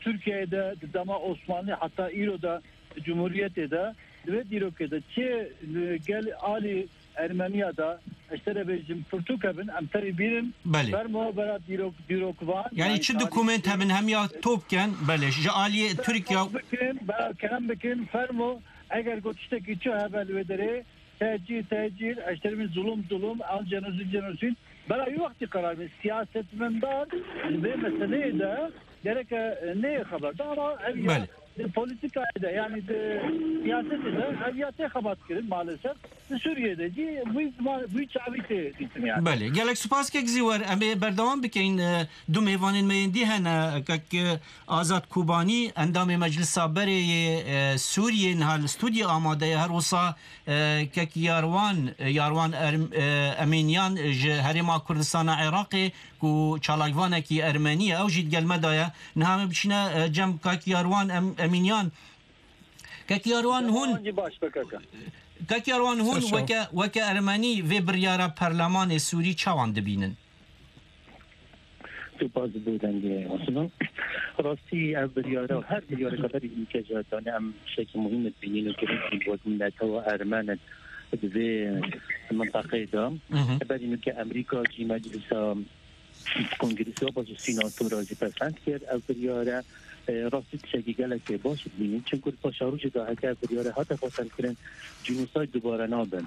Tirkiyeyê de, di dema Osmanlî heta îro de, di Cumhuriyetê de, di vê dîrokê de çi, e, gel alî Ermeniya de, ez te re bêjim, pirtûk hebin, em terî bînin. Belê. Fermo bera dîrok, dîrokvan, Yani yani çi tarîxçi dokument hebin, hem ya top ken, belê, ji aliyê Tirkiye bikin, bera kerem bikin, fermo, eger got tiştekî çi hebe li wê derê, tecîr, tecîr, ez te re bêjim, zulum, zulum, an cenosîd, cenosîd, bera wî wextî qerar bin. Siyasetmendar li vê meseleyê de gereke, e, neyê xeber da, ama ev ya Belê. di politikayê de, yani di siyasetê de ev ya tê xebat kirin maalesef. Li Sûriyê de jî vî ziman, vî çavî tê dîtin yani. Belê. Gelek spas kek Zîwer. Em ê berdewam bikeyin. E, du mêvanên me yên dî hene. Kek, e, Azad Kobanî, endamê Meclisa Berê yê, e, Sûriyê niha li stûdyo amade ye. Her wisa, e, kek Yarwan, e, Yarwan Erm-, e, Emînyan ji Herêma Kurdistana Iraqê ku çalakvanekî ermenî ye, ew jî digel me de ye. Niha em ê biçîne, e, cem kek Yarwan Em-, Emînyan. Kek Yarwan hûn, Wan jî baş be kaka. Kek Yarwan hûn Sağ ol. weke, weke ermenî vê biryara perlemanê Sûrî çawan dibînin? Spas bo dengê Osman. Rastî ev biryara, her biryarê xeberî û kejatane em şekî muhîm dibînin û girîng wek netewa ermen di vê mintaqeyê de. Hı hı. Berî nûke Amerîka jî meclisa Kongresiya baş û sînatora jî pesend kir. Ev biryare, e, rastî tiştekî gelekê baş dibînin. Çimku di paşarojê de heke ev biryare hate pesendkirin, cînosayd dubare nabin.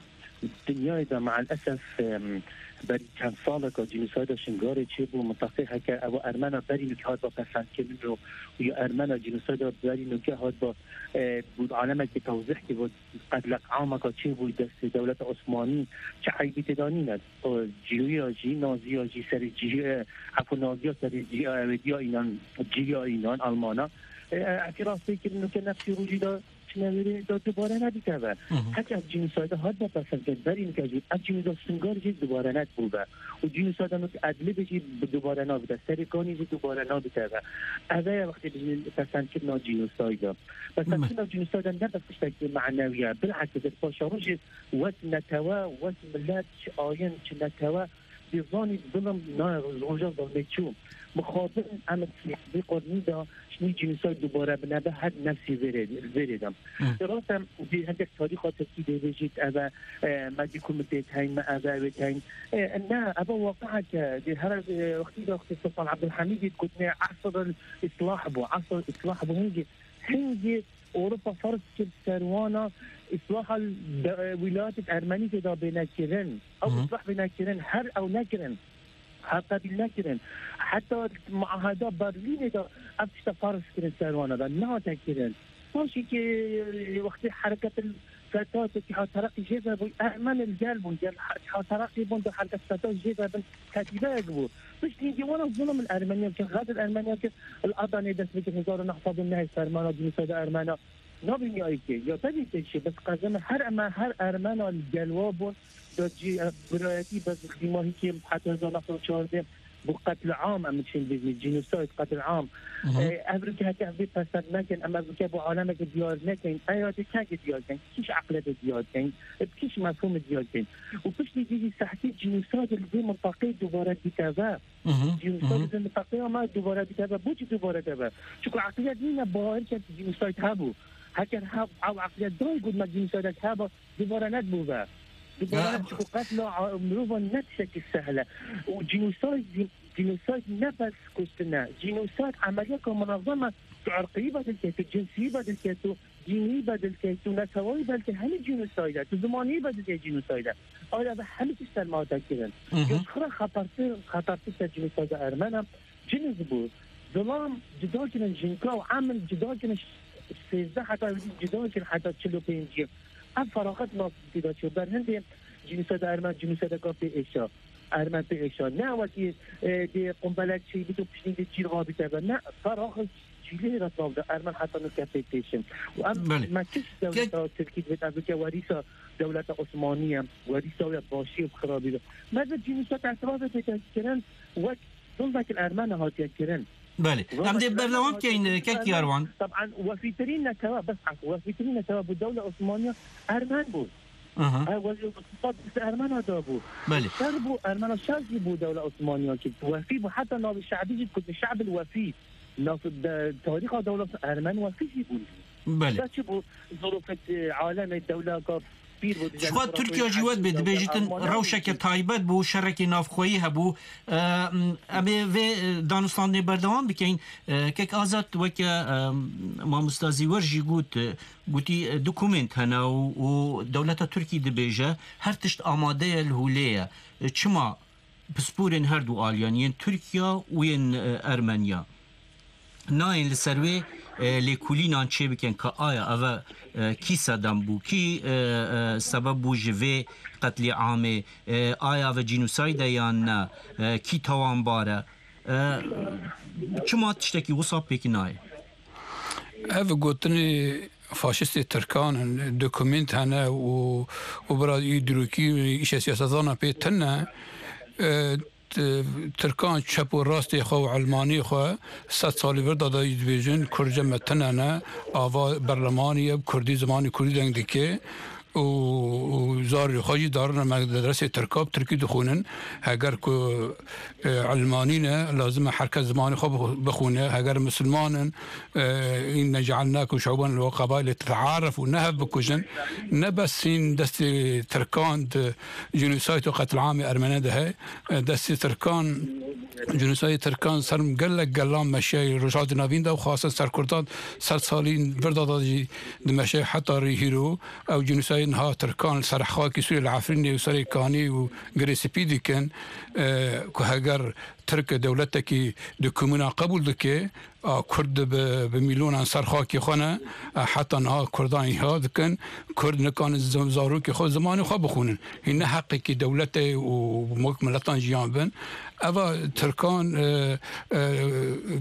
Dinyayê de meelesef, em, berî çend saleka cînosayda Şingalê çêbû, mintaqê heke ew ermena berî nûke hat ba pesendkirin û, û ya ermena cînosayda berî nûke hat ba, e, bû alemekî tewzîh kir, bû qetlek ameka çêbû destê dewleta Osmanî, çi eybî tê de nîne. O, cîroya jî, naziya jî serê cî-, e, efû naziya serê cî-, e, wêdiya înan, cîya înan, Almana. E, e, efî rastê kirin nûke nefsî rojî de çine wêrê de dubare nebîte ve. Hı hı. Heke ev cînosayda hat be pesendkirin, berî nûke jî ev cînosa Singar jî dubare nedibû ve. Û cînosayda nûke Idlibê jî bi dubare nabîte, serê Kanî jî dubare nabîte ve. Eve ye wextê bijî pesendkirina cînosayda. Pesendkirina cînosayda ne bes tiştekî manewî ye, bilhekis di paşarojê wek netewe, wek milet, çi ayin, çi netewe, dê zanî zilim nayê, roja zilmê çû. Mixabin em vê qurnî de şinî cînosayd dubare binebe her nefsî vêrê, vêrê de. Hı. Rast em dê hindek tarîxa Tirkî dê bêjît, eve, e, me dî ku min tê teyn, me eve wê teyn. E, ne, eve waqiek e, dê her, e, wextî de wextê Sultan Abdulhamîdî digotinê esr îslah bû, esr îslah bû, hingê, hingê Ewropa ferz kir ser wana îslaha de, wîlayetê ermenî tê de bêne kirin. Ew Hı hı. îslah bêne kirin, her ew nekirin. Her qebîl nekirin. Heta muaheda Berlînê de ev tişta ferz kirin ser wana de, nehate kirin. Paşî ki wextê hereket Fetat, Îtîhad Tereqî jê ve bû, ermen li gel bûn, gel Îtîhad Tereqî bûn, di hereket Fetat jê ve bin ketîbeyek bû. Piştî hingê wana zulm li Ermeniya kir, xet li Ermeniya kir, li Adanê dest bi hezar û neh sed û neh fermana cînosayda Ermena nabîniyayî kê. Ya tevî tê çi, bes qezeme her eme, her Ermena li gel wa bûn, da cî, e, birayetî bes xîmahî kê heta hezar neh sed û çardeh bû qetl am, em çin bibî, cînosayd, qetl am. Hı hı. E, ev rike heke ev bê pesend nekin, em ev rike bo alemeke diyar nekin, eya dê kengê diyar kin, kîş eqlete diyar kin, bi kîş mefhûmê diyar kin. Û piştî dî jî sehtî cînosayd li vê mintaqeyê dubare dîte ve. Hı hı, hı hı. Cînosayd li vê mintaqeya me dubare dîte ve. Boçî dubare dîte ve? Çunku eqliyet nîne bawer ket cînosayd hebû. Heker heb-, ew eqliyet dayê got me cînosaydek hebe, dubare nedibû ve. Dubare Ya. Çunku qetla a-, mirovan ne tiştekî sehl e. Û cînosayd, cînosayd ne bes kuştin e. Cînosayd emeliyeka munezem e. Tu irqiyî bedil key, tu cinsiyî bedil key, tu dînî bedil key, tu netewayî bedil key, hemî cînosayd e. Tu zimanî bedil key, cînosayd e. Aya ve hemî tişt ser me hate kirin. Hı hı. Ya ji xwe re xetertir, xetertir ser cînosayda ermen e. Ciniz bû. Zilam cida kirin ji jinka û emil cida kirin, sêzdeh heta cida kirin heta çil û pêncî. Ev feraxet nas tê de çû. Ber hindê cînosayda ermen cînosaydeka pê êşa. Ermen pê êşa. Ne wekî, e, dê qumbelek çêbît û piştî dê çîr rabîte be. Ne, feraxet cîlê re nav de ermen heta nûke pê têşin. Û em Belê. me kişt dewleta Tirkî divêt, ev bike werîsa dewleta Osmanî ye. Werîsa wê başî û xirabî be. Me divêt cînosayda etirafê pê kirin wek zulmek li ermena hatiye kirin. Belê. Em dê berdewam keyin, kek Yarwan. Taban wefîtirîn netewe, bes efû, wefîtirîn netewe bû dewla Osmaniya ermen bû. Aha. Ha, wezîr îqtisad dest ermena da bû. Belê. Şer bû, ermena şer jî bû dewla Osmaniya kir. Wefî bû, heta navê şe'bî jî dikutî, şe'bil wefî. Nav de, tarîxa dewla ermen wefî jî bûn. Belê. Da çi bû? Zorofet, e, alemê dewla ka pîr bû, Ji xwe Tirkiye jî wet bê, dibêjîtin rewşeke taybet bû, şerekê navxweyî hebû. Em ê vê, e, danûstandinê berdewam bikeyin. E, kek Azad, weke, e, mamosta Zîwer jî got, e, gotî, e, dokumênt hene û, û dewleta Tirkî dibêje, her tişt amade ye, li holê ye. E, çima pisporên her du aliyan, yên Tirkiya û yên, e, Ermeniya, nayên li ser wê e, lêkolînan çêbikin ka aya eve, e, kî sedem bû, kî, e, e, sebeb bû ji vê qetlîamê, e, aya eve cînosayde yan ne, e, kî tawanbar e. E, çima tiştekî wisa pêk nayê? Ev gotinê faşistê Tirkan in, dokumint hene û, û bira îdrokî, îşe siyasetdana pê tune. E, t-, Tirkan çep û rastê xwe û elmanî xwe sed salî vir da da dibêjin, Kurd ji me tune ne, ava berlemanî ye, bi Kurdî, zimanê Kurdî deng dike û, û zarê xwe jî darine me dersê Tirka bi Tirkî dixwînin. Heger ku, e, elmanî ne, lazim e her kes zimanê xwe bixw-, bixwîne. Heger misilman in, e, inne cealnakum şu'uban ve qabaile tetearefû, ne hev bikujin, ne bes hîn destê Tirkan di cînosayt û qetlamê Ermene de he, e, destê Tirkan, cînosayê Tirkan ser gelek gelan meşeyê Rojhilata Navîn de û xasen ser Kurdan sed salî vir da da jî dimeşe heta rê hîro. Ew cînosayê niha Tirkan li ser xakê Sûriyê li Efrînê û Serê Kanî û Girê Spî dikin, e, ku heger Tirk dewletekî di komûna qebûl dike, a Kurd bi, bi mîlyonan ser xakê xwe ne, a heta niha Kurdan îha dikin, Kurd nikanin zim-, zarokê xwe, zimanê xwe bixwînin. Hîn ne heqekî dewletê û wek miletan jiyan bin. Eva Tirkan, e, e,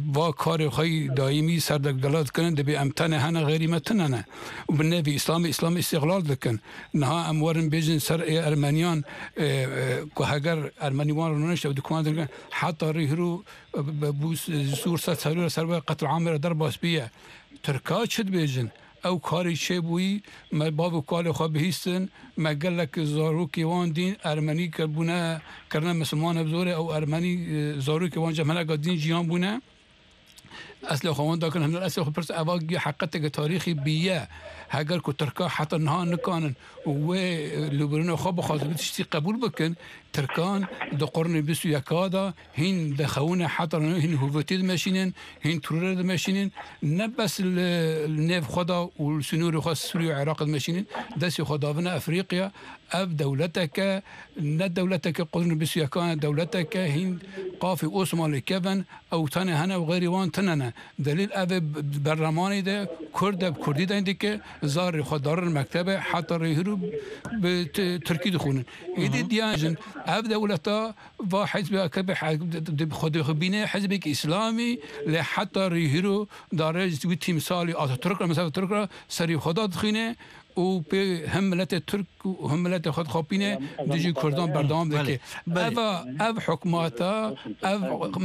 va karê xwe yî dayîmî ser de gela dikinin, dibê em tenê hene, xeyrî me tune ne. Û bi nevî Îslamê, Îslamê îstîxlal dikin. Niha em werin bêjin ser ê Ermeniyan, e, e, ku heger Ermenî wan rûnişte û dikuman dikin, heta rî hiro, e, bi, bi, bû s-, Sûr sed serû re ser we qetlamê re derbas bûye. Tirka çi dibêjin? Ew karê çêbûyî, me bav û kalê xwe bihîstin, me gelek zarokê wan dîn Ermenî kir-, bûne, kirine misilman, ev zor e, ew Ermenî, e, zarokê wan cem hineka dîn jiyan bûne. Eslê xwe wan dakin, hindir eslê xwe pirs, eva giya heqeteke tarîxî bîye. Heger ku Tirka heta niha nikanin û wê, e, li birîna xwe bixwazin, bi tiştî qebûl bikin, Tirkan di qurunê bîst û yeka de hîn dixewine heta niha hîn hûvetê dimeşînin, hîn terorê dimeşînin, ne bes li, li nêv xwe de û li sînorê xwe Sûriye û Iraqê dimeşînin, destê xwe davine Efrîqya. Ev dewleteke, ne dewleteke qurunê bîst û yekan e, dewleteke hîn qafê Osmanlî kevin, ew tenê hene û xeyrî wan tune ne. Delîl ev ê bi-, berlemanî de Kurd e, bi Kurdî deng dike, zarê xwe darin mektebe, heta rê hîro bi ti-, Tirkî dixwînin. Êdî diyan jin, ev dewleta va hizbê A K P he-, di, di, di, xwe dixwîne hizbekî Îslamî, lê heta rê hîro dare ji wî tîmsalî Ataturk re, mesela Atatürk re serî xwe da dixwîne û pê hem miletê Tirk û hem miletê xwe dixapîne, dijî Kurdan berdewam dike. Belê. Eva, ev hikûmeta, ev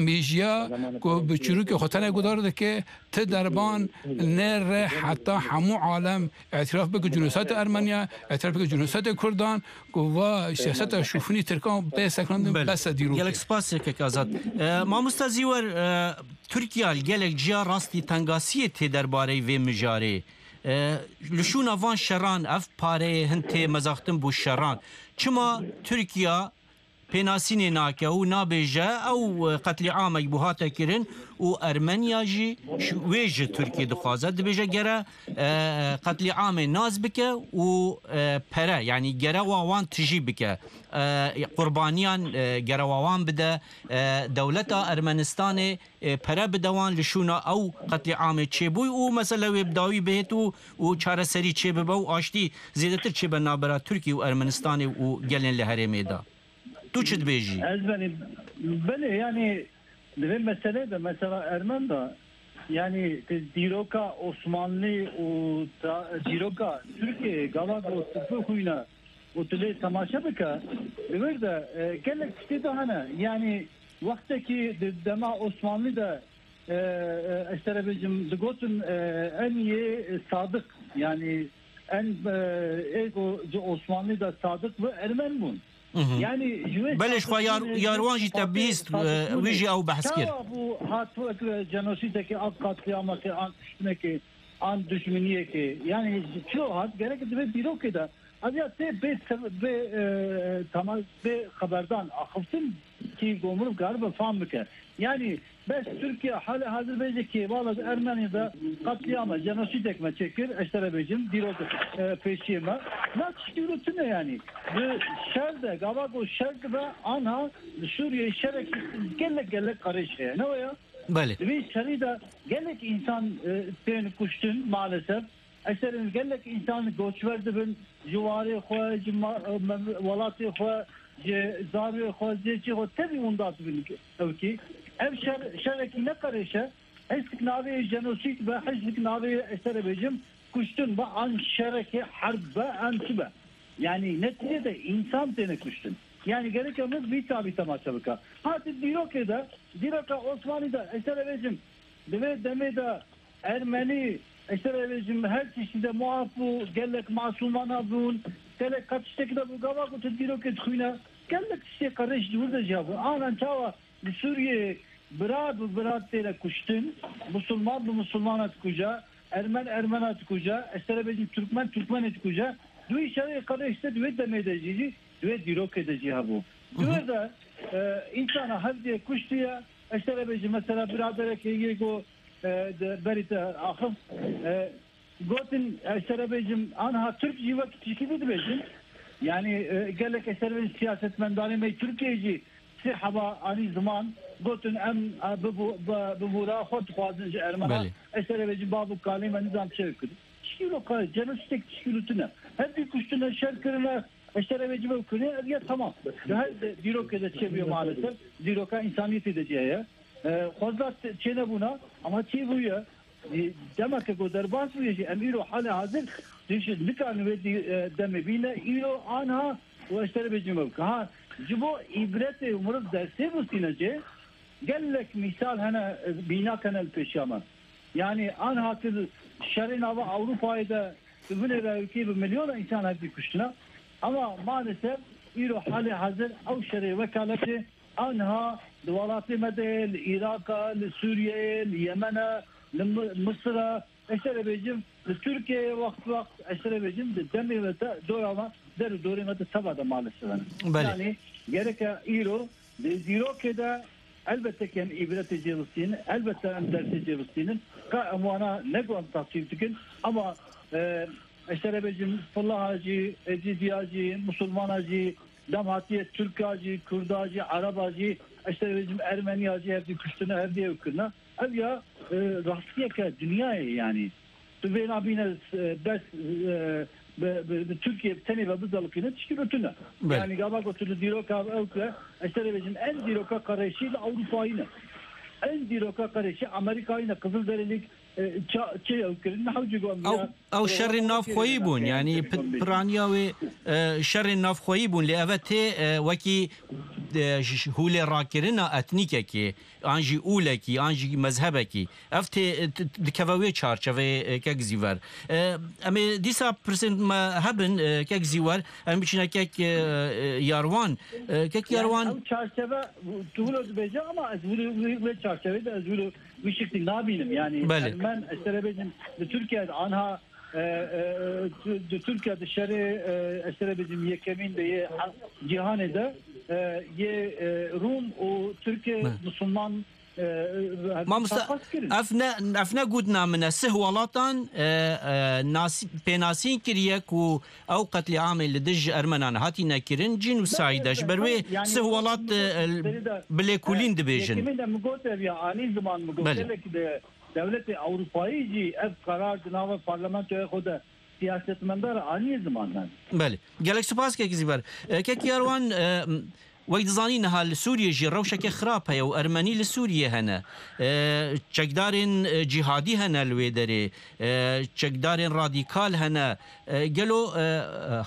mêjiya ku bi çîrokê xwe tenê guhdar dike, ti derban nêre heta hemû alem îtiraf bike cînosaydê Ermeniya, îtiraf bike cînosaydê Kurdan, ku va siyaseta şûfinî Tirkan bê sekinandin. Belê. Bes e dîrokê. Gelek spas, kek Azad. E, mamosta Zîwer, e, Tirkiya li gelek ciya rastî tengasiyê tê derbareyê vê mijarê. E, li şûna van şeran ev pareyê hin tê mezaxtin bo şeran. Çima Tirkiya pênasînê nake û nabêje ew, e, qetlîamek bû hate kirin û Ermeniya jî ş-, wê ji Tirkiyê dixwaze? Dibêje gere, e, qetlîamê nas bike û, e, pere, yanî gerewa wan tijî bike. E, qurbaniyan, e, gerewa wan bide. E, dewleta Ermenistanê, e, pere bide wan li şûna ew qetlîamê çêbûy û mesele wê bi dawî bihêt û, û çareserî çêbibe û aştî zêdetir çêbe navbera Tirkiye û Ermenistanê û gelên li herêmê de. Tu çi dibêjî? Ez benî, belê, yanî di vê meselê de, mesela Ermen de, yanî di dîroka Osmanlî û ta-, dîroka Tirkiyeyê gava ku tu bixwîne û tu lê temaşe bike, di wir de, e, gelek tiştê de hene. Yanî wextekî di dema Osmanlî de, e, e, ez te re bêjim, digotin, e, en yê sadik, yanî en, e, ê ku ji Osmanlî de sadik bi Ermen bûn. Mhm. Yanî ji wê Belê, ji xwe yar-, sadikbûnê, yar wan jî te bîst, e, wî jî ew behs kir. Çawa bû hat wek, e, cenosîdekê, an katliamekê, an kuştinekê, an dijminiyekê? Yanî ji çilo hat, gerek divê dîrokê de ev ya tê bê sev-, bê, e, tamam, bê xeberdan axiftin ki gomrûv karibe fam bike. Yanî bes Tirkiye hale hazir bêje ki valla di Ermenî de katliama, cenosîdek me çêkir, ez te re bêjim, dîrok, e, pêşiyê me. Na tiştî wilo tune yanî. Di şer de, gava ku şer dibe, anha li Sûriyeyê şerek gelek gelek qerêj heye. Ne waya? Belê. Di vê şerî de gelek însan, e, tên kuştin maalesef. Eserên gelek însan koçber dibin, ji warê xwe, ji ma-, e, me-, welatê xwe, ji zarokê xwe, ji cihê xwe tevî winda dibin ewkî. Ev şer, şerekî ne qerêş e. Hiştik navê jenosîd be, hiştik navê, ez te re bêjim, kuştin be, an şerekê herb be, an çi be. Yanî netîcede însan têne kuştin. Yanî gerek em vî çavî temaşe bike. Ha, di dîrokê de, dîroka Osmanî de, ez te re bêjim, di vê demê de Ermenî, ez te re bêjim, her tiştî de muaf bû, gelek masûmana bûn, gelek qet tiştekî de bû, gava ku tu dîrokê dixwîne, gelek tiştê qerêş ji wir de jî hebûn. Anan çawa li Sûriyeyê bira bi bira têne kuştin, musulman bi musulmana dikuje, ermen ermena dikuje, ez te re bêjim, türkmen türkmenê dikuje. Di wî şerê qerêş de, di wê demê de jî, jî di wê dîrokê de jî hebû. Di wê de, e, însana hevdiyê kuştiye, ez te re bêjim, mesela biraderekê yê ku, e, de berî te axif, e, gotin, ez te re bêjim, anha Türk jî wek tişkî dibêjin. Yanî, e, gelek, ez te re bêjim, siyasetmendanê me Tirkiyeyê jî sê heba anî ziman, gotin, em, e, bi, bi, bi bûra xwe dixwazin ji Ermena. Belê. Ez te re bêjim, bav û kalê me nizam çi kir. Tişkîlo ka, genocide tişkîlo tune. Hevdî kuştine, şer kirine, ez te re bêjim, ev kirine, ev ya tamam. Di her de, dîrokê de çêbûye maalesef. Dîroka însaniyetê de jî heye. E, xwezda t-, çênebûna, ama çêbûye. E, demeke ku derbas bûye jî, em îro halê hazir, dîşit nikarin wê dî-, e, demê bîne, îro anha û ez te re bêjim ev. Ha, ji bo îbretê û mirov dersê bistîne jê, gelek mîsal hene, e, mînak hene li pêşiya me. Yanî anha tu şerê nava Ewropayê de tu binêre ewkê bi milyona însan hevdî kuştine. Ama maalesef îro halê hazir ew şerê wekaletê anha di welatê me de, li Îraqê, li Sûriyeyê, li Yemene, li Mi-, Misirê, ez te re bêjim, li Tirkiyeyê wext wext, ez te re bêjim, di demê me de, dora me, der û dorê me de teva de maalesef hene. Belê. Yanî gereke îro di dîrokê de elbette ki em îbretê cê bistînin, elbette em dersê cê bistînin. Ka em wana ne ku em tasvîb dikin, ama, e, ez te re bêjim, Filaha jî, Êzîdiya jî, Musulmana jî, dem hatiye Tirka jî, Kurda jî, Ereba jî, ez te re bêjim, Ermeniya jî hevdî kuştine, hevdî ew kirine. Ev ya, e, rastiyeke dinyayê yanî. Tu vê nabîne, e, bes, e, bi, bi, bi Tirkiye tenê ve bizelikîne tişkî tune. Belê. Yanî gava ku tu li dîroka ew ke, ez te re bêjim, en dîroka qereşî li Ewropayî ne. En dîroka qereşî Amerîkayî ne. Qizilderîlîk, e, ça-, çi ew kirin, ne hewcî got. Ew, ew şerên navxweyî bûn, yanî pi-, piraniya wê, e, şerên navxweyî bûn, lê eve tê, e, wekî, e, j-, hûlê rakirina etnîkekê, an jî ûlekî, an jî mezhebekî. Ev tê, t-, dikeve wê çarçeveyê, e, kek Zîver. E, em ê dîsa pirsên me hebin, e, kek Zîwer, em biçîne kek, e, e, Yarwan. E, kek Yarwan. Yanî ew çarçeve, tu wilo dibêje, ama ez wilo, wê, wê çarçevê de ez wilo wî şiklî nabînim. Yanî Belê. Ermen, ez te re bêjim, li Tirkiye de anha, e, e, tu-, di Tirkiye de şerê, e, ez te re bêjim, yekemîn de yê he-, cîhanê de, e, yê, e, Rûm û Tirkê Belê. Musulman, e, e, Mamoste, çapas kirin. Ev ne, ev ne gotina min e. Sih welatan, e, e, nasî-, pênasîn kiriye ku ew qetlîamê li dij Ermenan hatine kirin, cînûsayîd e. Ji ber wê Yani, sih welat, e, serî de, bi lêkolîn e, dibêjin. Yekemîn de min got ev ya, anî ziman min got. Belê. Gelek de dewletê Ewropayî jî ev qerar di nava parlamentoya xwe de siyasetmendar anî ziman. Belê. Gelek spas kek Zîver. E, kek Yarwan, e, Wek dizanî niha li Sûriyê jî rewşeke xirab heye û Ermenî li Sûriyê hene. E, çekdarên, e, cîhadî hene li wê derê. E, çekdarên radîkal hene. E, gelo, e,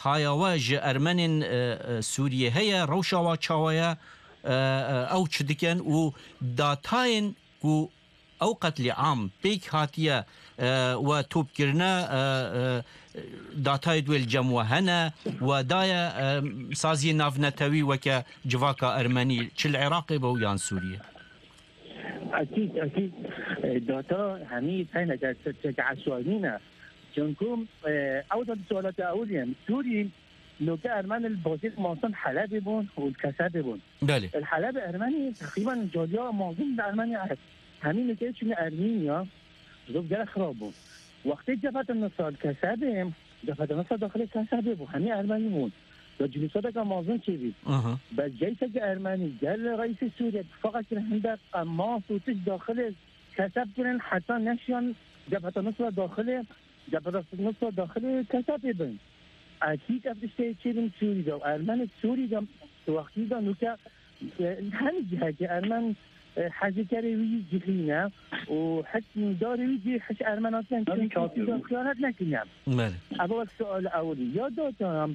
haya we ji Ermenên, e, e, Sûriyê heye? Rewşa we çawa ye? E, e, ew çi dikin û datayên ku ew qetlîam pêk hatiye, e, we topkirine, e, e, datayê wê li cem we hene, we daye, e, saziyê navnetewî weke civaka Ermenî, çi li Iraqê be û yan Sûriyê? Ekîd, ekîd. E, data hemî teyne ke, ke, ke eşwanî ne. Çunku, e, ew da sualata ewilî ye. Sûrî, Loke Ermen li bajêr Masin Helebê bûn û li Kesebê bûn. Belê. Li Helebê Ermenî teqrîben caliya mezin li Ermenî hemî nokeyê çûne Ermînya, zov gelek xirab bûn. Wextê Cebheta Nusra li Kesebê, Cebheta Nusra daxilê Kesebê bû, hemî Ermenî bûn. Ya cînîsadeka mezin çêbî. Aha. Bes ceysekî Ermenî gel reîsê Sûriyê tifaqa kirin hindek qemas û tişt daxilê keseb kirin, heta neşiyan Cebheta Nusra daxilê, Cebheta Nusra daxilê kesebê bin. Ekîd ev tiştê çêbin Sûrî de û Ermenê Sûrî de di wextî de nûke, e, hemî cihekê Ermen, e, hezîkerê wî cihî ne û hikmdarê wî jî hiç Ermenatiyan Tabii ki kî haklısın. Xiyanet nekiriye. Belê. Ev wek sual ewilî. Ya data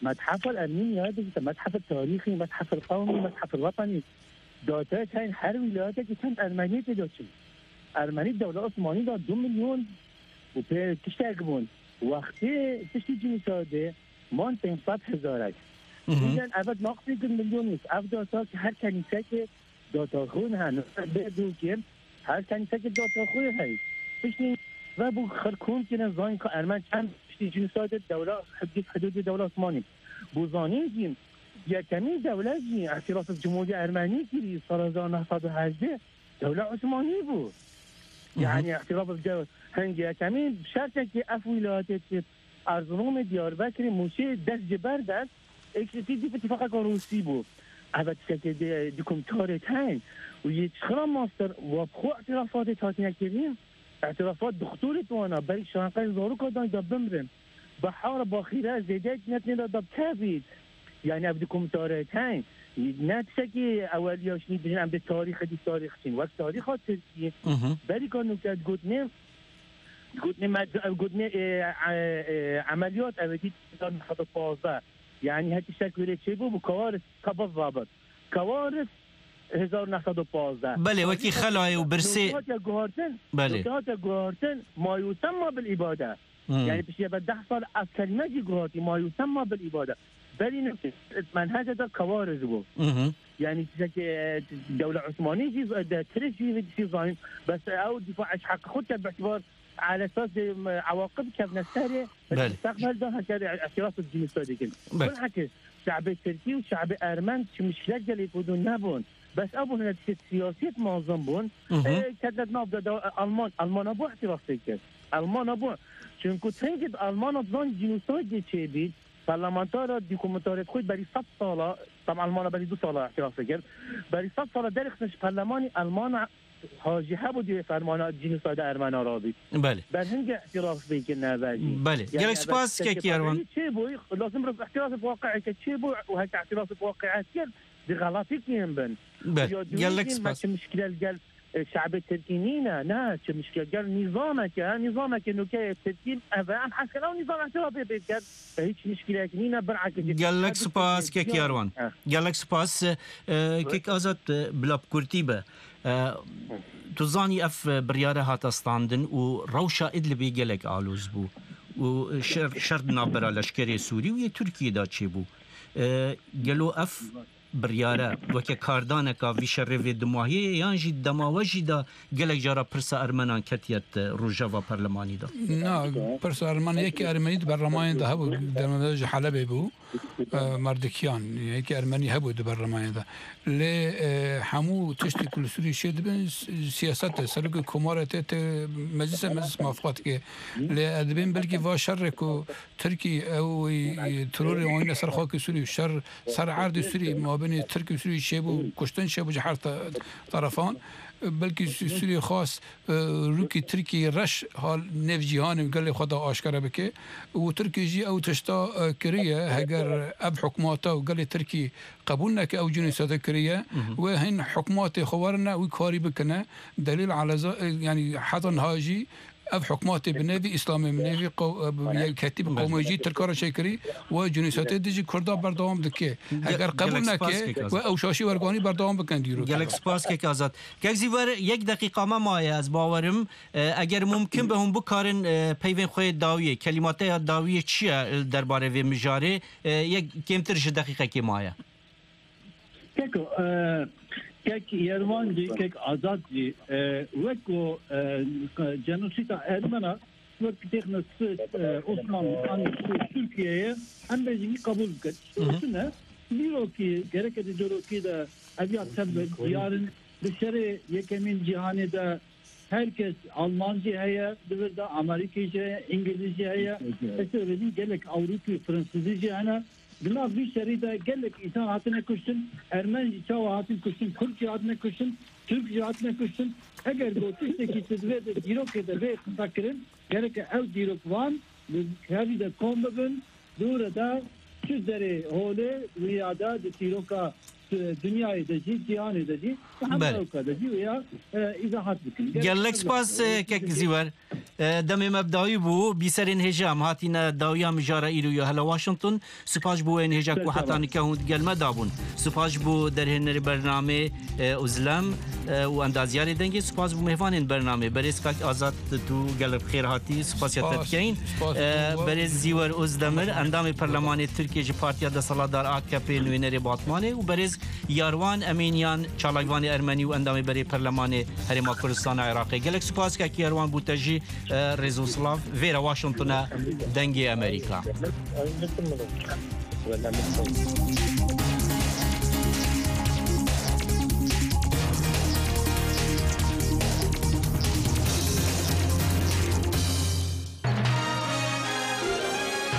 Methefel Ermeniya dibite methefel tarîxî, methefel qewmî, methefel wetenî. Data heyî her wîlayetekî çend Ermeniyê tê de çin. Ermenî dewla Osmanî de du milyon û pê tiştek bûn. Wextê tiştî cînîsadê man pênc sed hezarek. Hı hı. Bizden evet naqsî du milyon nîs. Ev data ki her kenîsekê data xwe ne, ne, bê dûkê, her kenîsekê data xwe heye. Piştî ve bû xelk hûn kirin zayîn ka Ermen çend piştî cînîsadê dewla, hudûd, hudûdê dewla Osmanî. Bû zanîn jî, yekemîn dewlet jî, îtirafê bi Cumhuriyê Ermenî kirî, sala hezar neh sed û hejdeh, dewla Osmanî bû. Hı hı. Yani, îtirafê bi dew-, hingê yekemîn şertekî ev wîlayetê Erzurumê, Diyarbekirê, Mûşê dest ji ber dest, êkşitî dî bi tifaqeka Rûsî bû. Eve tiştekê di, di kumtarê teyn û yê çixira master wa bi xwe îtirafatê hatine kirin. Îtirafat dixtorê wana berî şanqey zaroka dan da bimrin. Bahar baxîre zêde netine da da bikevît. Yani ev di kumtarê teyn. Ne tiştekî eweliya şinî dijin em di tarîxê di tarîx çin. Wek tarîxa Tirkî, Hı hı. berî ka nûke digotinê, digotinê med-, ev gotinê, e, e, e, emeliyat ev dî hezar neh sed û pazdeh. Yani her tiştek wêrê çêbû, bu kawaris kabaz zabit. Kawaris hezar neh sed û pazdeh. Belê, wekî xelayê û birsê. Nûke hatiye guhartin, Belê. Nûke hatiye guhartin, ma yusemma bil îbade. Hmm. Yani pişiye be deh sal ev kelîme jî guhatî, ma yusemma bil îbade. Berî nûke menhece de kawaris bû. Hı hı. Yani tiştekî, e, dewla Osmanî jî, e, de tirk jî, jî zayîn. Bes ew dîfa eş heq xwe ke bi îtibar Ala esas de, em, ewaqib kevne serê, Belê. Mustaqbel de heke de îtiraf bi cînîsadê dikin. Belê. Bilheke şe'bê Tirkî û şe'bê Ermen çi mişkilek gelê ku dû nebûn. Bes ew bû hine tiştê siyasî mezin bûn. Hı hı. E, ketnet nav de, de Alman, Almana bû îtiraf pê kir. Almana bû. Çünkü tengê Almana zan cînîsadê çêbî, parlamentara dî ku mutarê xwe berî sed sala, tam Almana berî du sala îtiraf kir. Berî sed sala derê xistin ji parlemanî Almana ha jî hebû di fermana cînîsayda Ermena rabît. Belê. Berhingê îtiraf bê kir neve jî. Belê. Yani Gelek spas, Kekî Erwan. Çêbû, lazim bi îtiraf bi waqi'ê ke çêbû û heke îtiraf bi waqi'ê kir, di xelatî kirin bin. Belê. Ya dûyî Gelek jî spas. Me çi mişkile li gel e, şe'bê Tirkî nîne, ne, çi mişkile. Gel nîzameke, nîzameke nûke yê Tirkî, ev e, em hesken ew nîzam îtirafê pê bikin. E, hiç mişkilek nîne, bir akê Gelek spas, Kek Yarwan. He. Gelek spas, e, Kek Azad, e, bila bi kurtî be. E, tu zanî ev, e, biryare hate standin û rewşa Idlibê gelek aloz bû. Û şer, şer di navbera leşkerê Sûrî û yê Tirkiyê de çêbû. E, gelo ev biryare weke kardaneka vî şerê vê dumahiyê ye yan jî dema we jî de gelek cara pirsa Ermenan ketiye di rojeva perlemanî de? Na, pirsa Ermen yekî Ermenî di berlemanê de hebû, dema de ji Helebê bû, e, Merdikiyan, yekî Ermenî hebû di berlemanê de. Lê, e, hemû tiştê ku li Sûriyê çê dibin, s-, siyaset e, serokê komarê tê, tê meclise, meclis mafqat ke. Lê ez dibêm belkî va şerê ku Tirkî ew, e, terorê anîne ser xakê Sûrî, şer ser erdê Sûrî, mabênê Tirk û Sûrî çêbû, kuştin çêbû ji her te-, terefan. Belkî Sû-, Sûrî xwest, e, rûkî Tirkî reş hal nêv cîhanê û gelê xwe de aşkere bike. Û Tirkî jî ew tişta, e, kiriye, heger ev hikûmeta û gelê Tirkî qebûl neke ew cînîsate kiriye, Hı hı. wê hin hikûmatê xwe werine wî karî bikine. Delîl aleza, e, yanî heta niha jî ev hikûmatê bi nêvî Îslamê, bi nêvî qew-, bi Belê. yekhetî, bi Belê. qewmê jî Tirka re çêkirî, we cînîsatê dijî Kurda berdewam dike. Ge-, Heger qebûl gelek spas neke, Kek Azad. we ew şaşî werganî berdewam bikin dîrok. Gelek spas Kek Azad. Kek Zîver, yek deqîqa me maye, ez bawerim. E, eger mumkin be hûn bikarin, e, peyvên xwe yê dawiyê, kelîmateya dawiyê çi ye, e, derbarê vê mijarê? E, yek kêmtir ji deqîqekê maye. Keko, e, kek Yerwan jî, kek Azad jî, e, wek ku, e, cenosîda Ermena wek têxine Swêd, e, Osmanlî an Tirkiyeyê, em bêjî wî qebûl bikin. Hı hı. Çi ne? Dîrokî, gereke di dîrokî de ev ya tevbe diyar in, di şerê yekemîn cîhanê de her kes Almancî heye, di vir de Amerîkî jî heye, Îngilîzî heye, ez ê bêjim gelek Ewropî, Fransizî jî hene. Di nav vî şerî de gelek însan hatine kuştin, Ermen jî çawa hatin kuştin, Kurd jî hatine kuştin, Tirk jî hatine kuştin. Eger ku tiştekî tu di vê de dîrokê de bê qisa kirin, gereke ew dîrokvan li tevî de kom bibin, dûre de çi derê holê wiya de di dîroka, e, dinyayê de jî, cîhanê de jî, hemî Belê. Ewka de jî wiya, e, îzahat bikin. Gerek Gelek ew spas, e, kek Zîwer. E, demê me bi dawî bû, bîserên hêja em hatîne dawiya mijara îro ya hela Washington. Spas ji bo wê hêja ku heta nike hûn digel me dabûn. Spas ji bo derhênerê bernamê, e, Uzlem, e, û endazyarê dengê. Spas ji bo mêvanên bernamê. Berêz Kak Azad, tu gelek bi xêr hatî. Spasiya te Spas, dikeyin. spas E, ji bo we. Berêz Zîwer Ozdemir, endamê perlemanê Tirkiye ji Partiya Desthilatdar A K P, nûnerê Batmanê û berêz Yarwan Emînyan, çalakvanê ermenî û endamê berê perlemanê Herêma Kurdistana Iraqê. Gelek spas kek Yarwan bû te jî, e, rêz û silav. Vêre Washington e, Dengê Amerîka.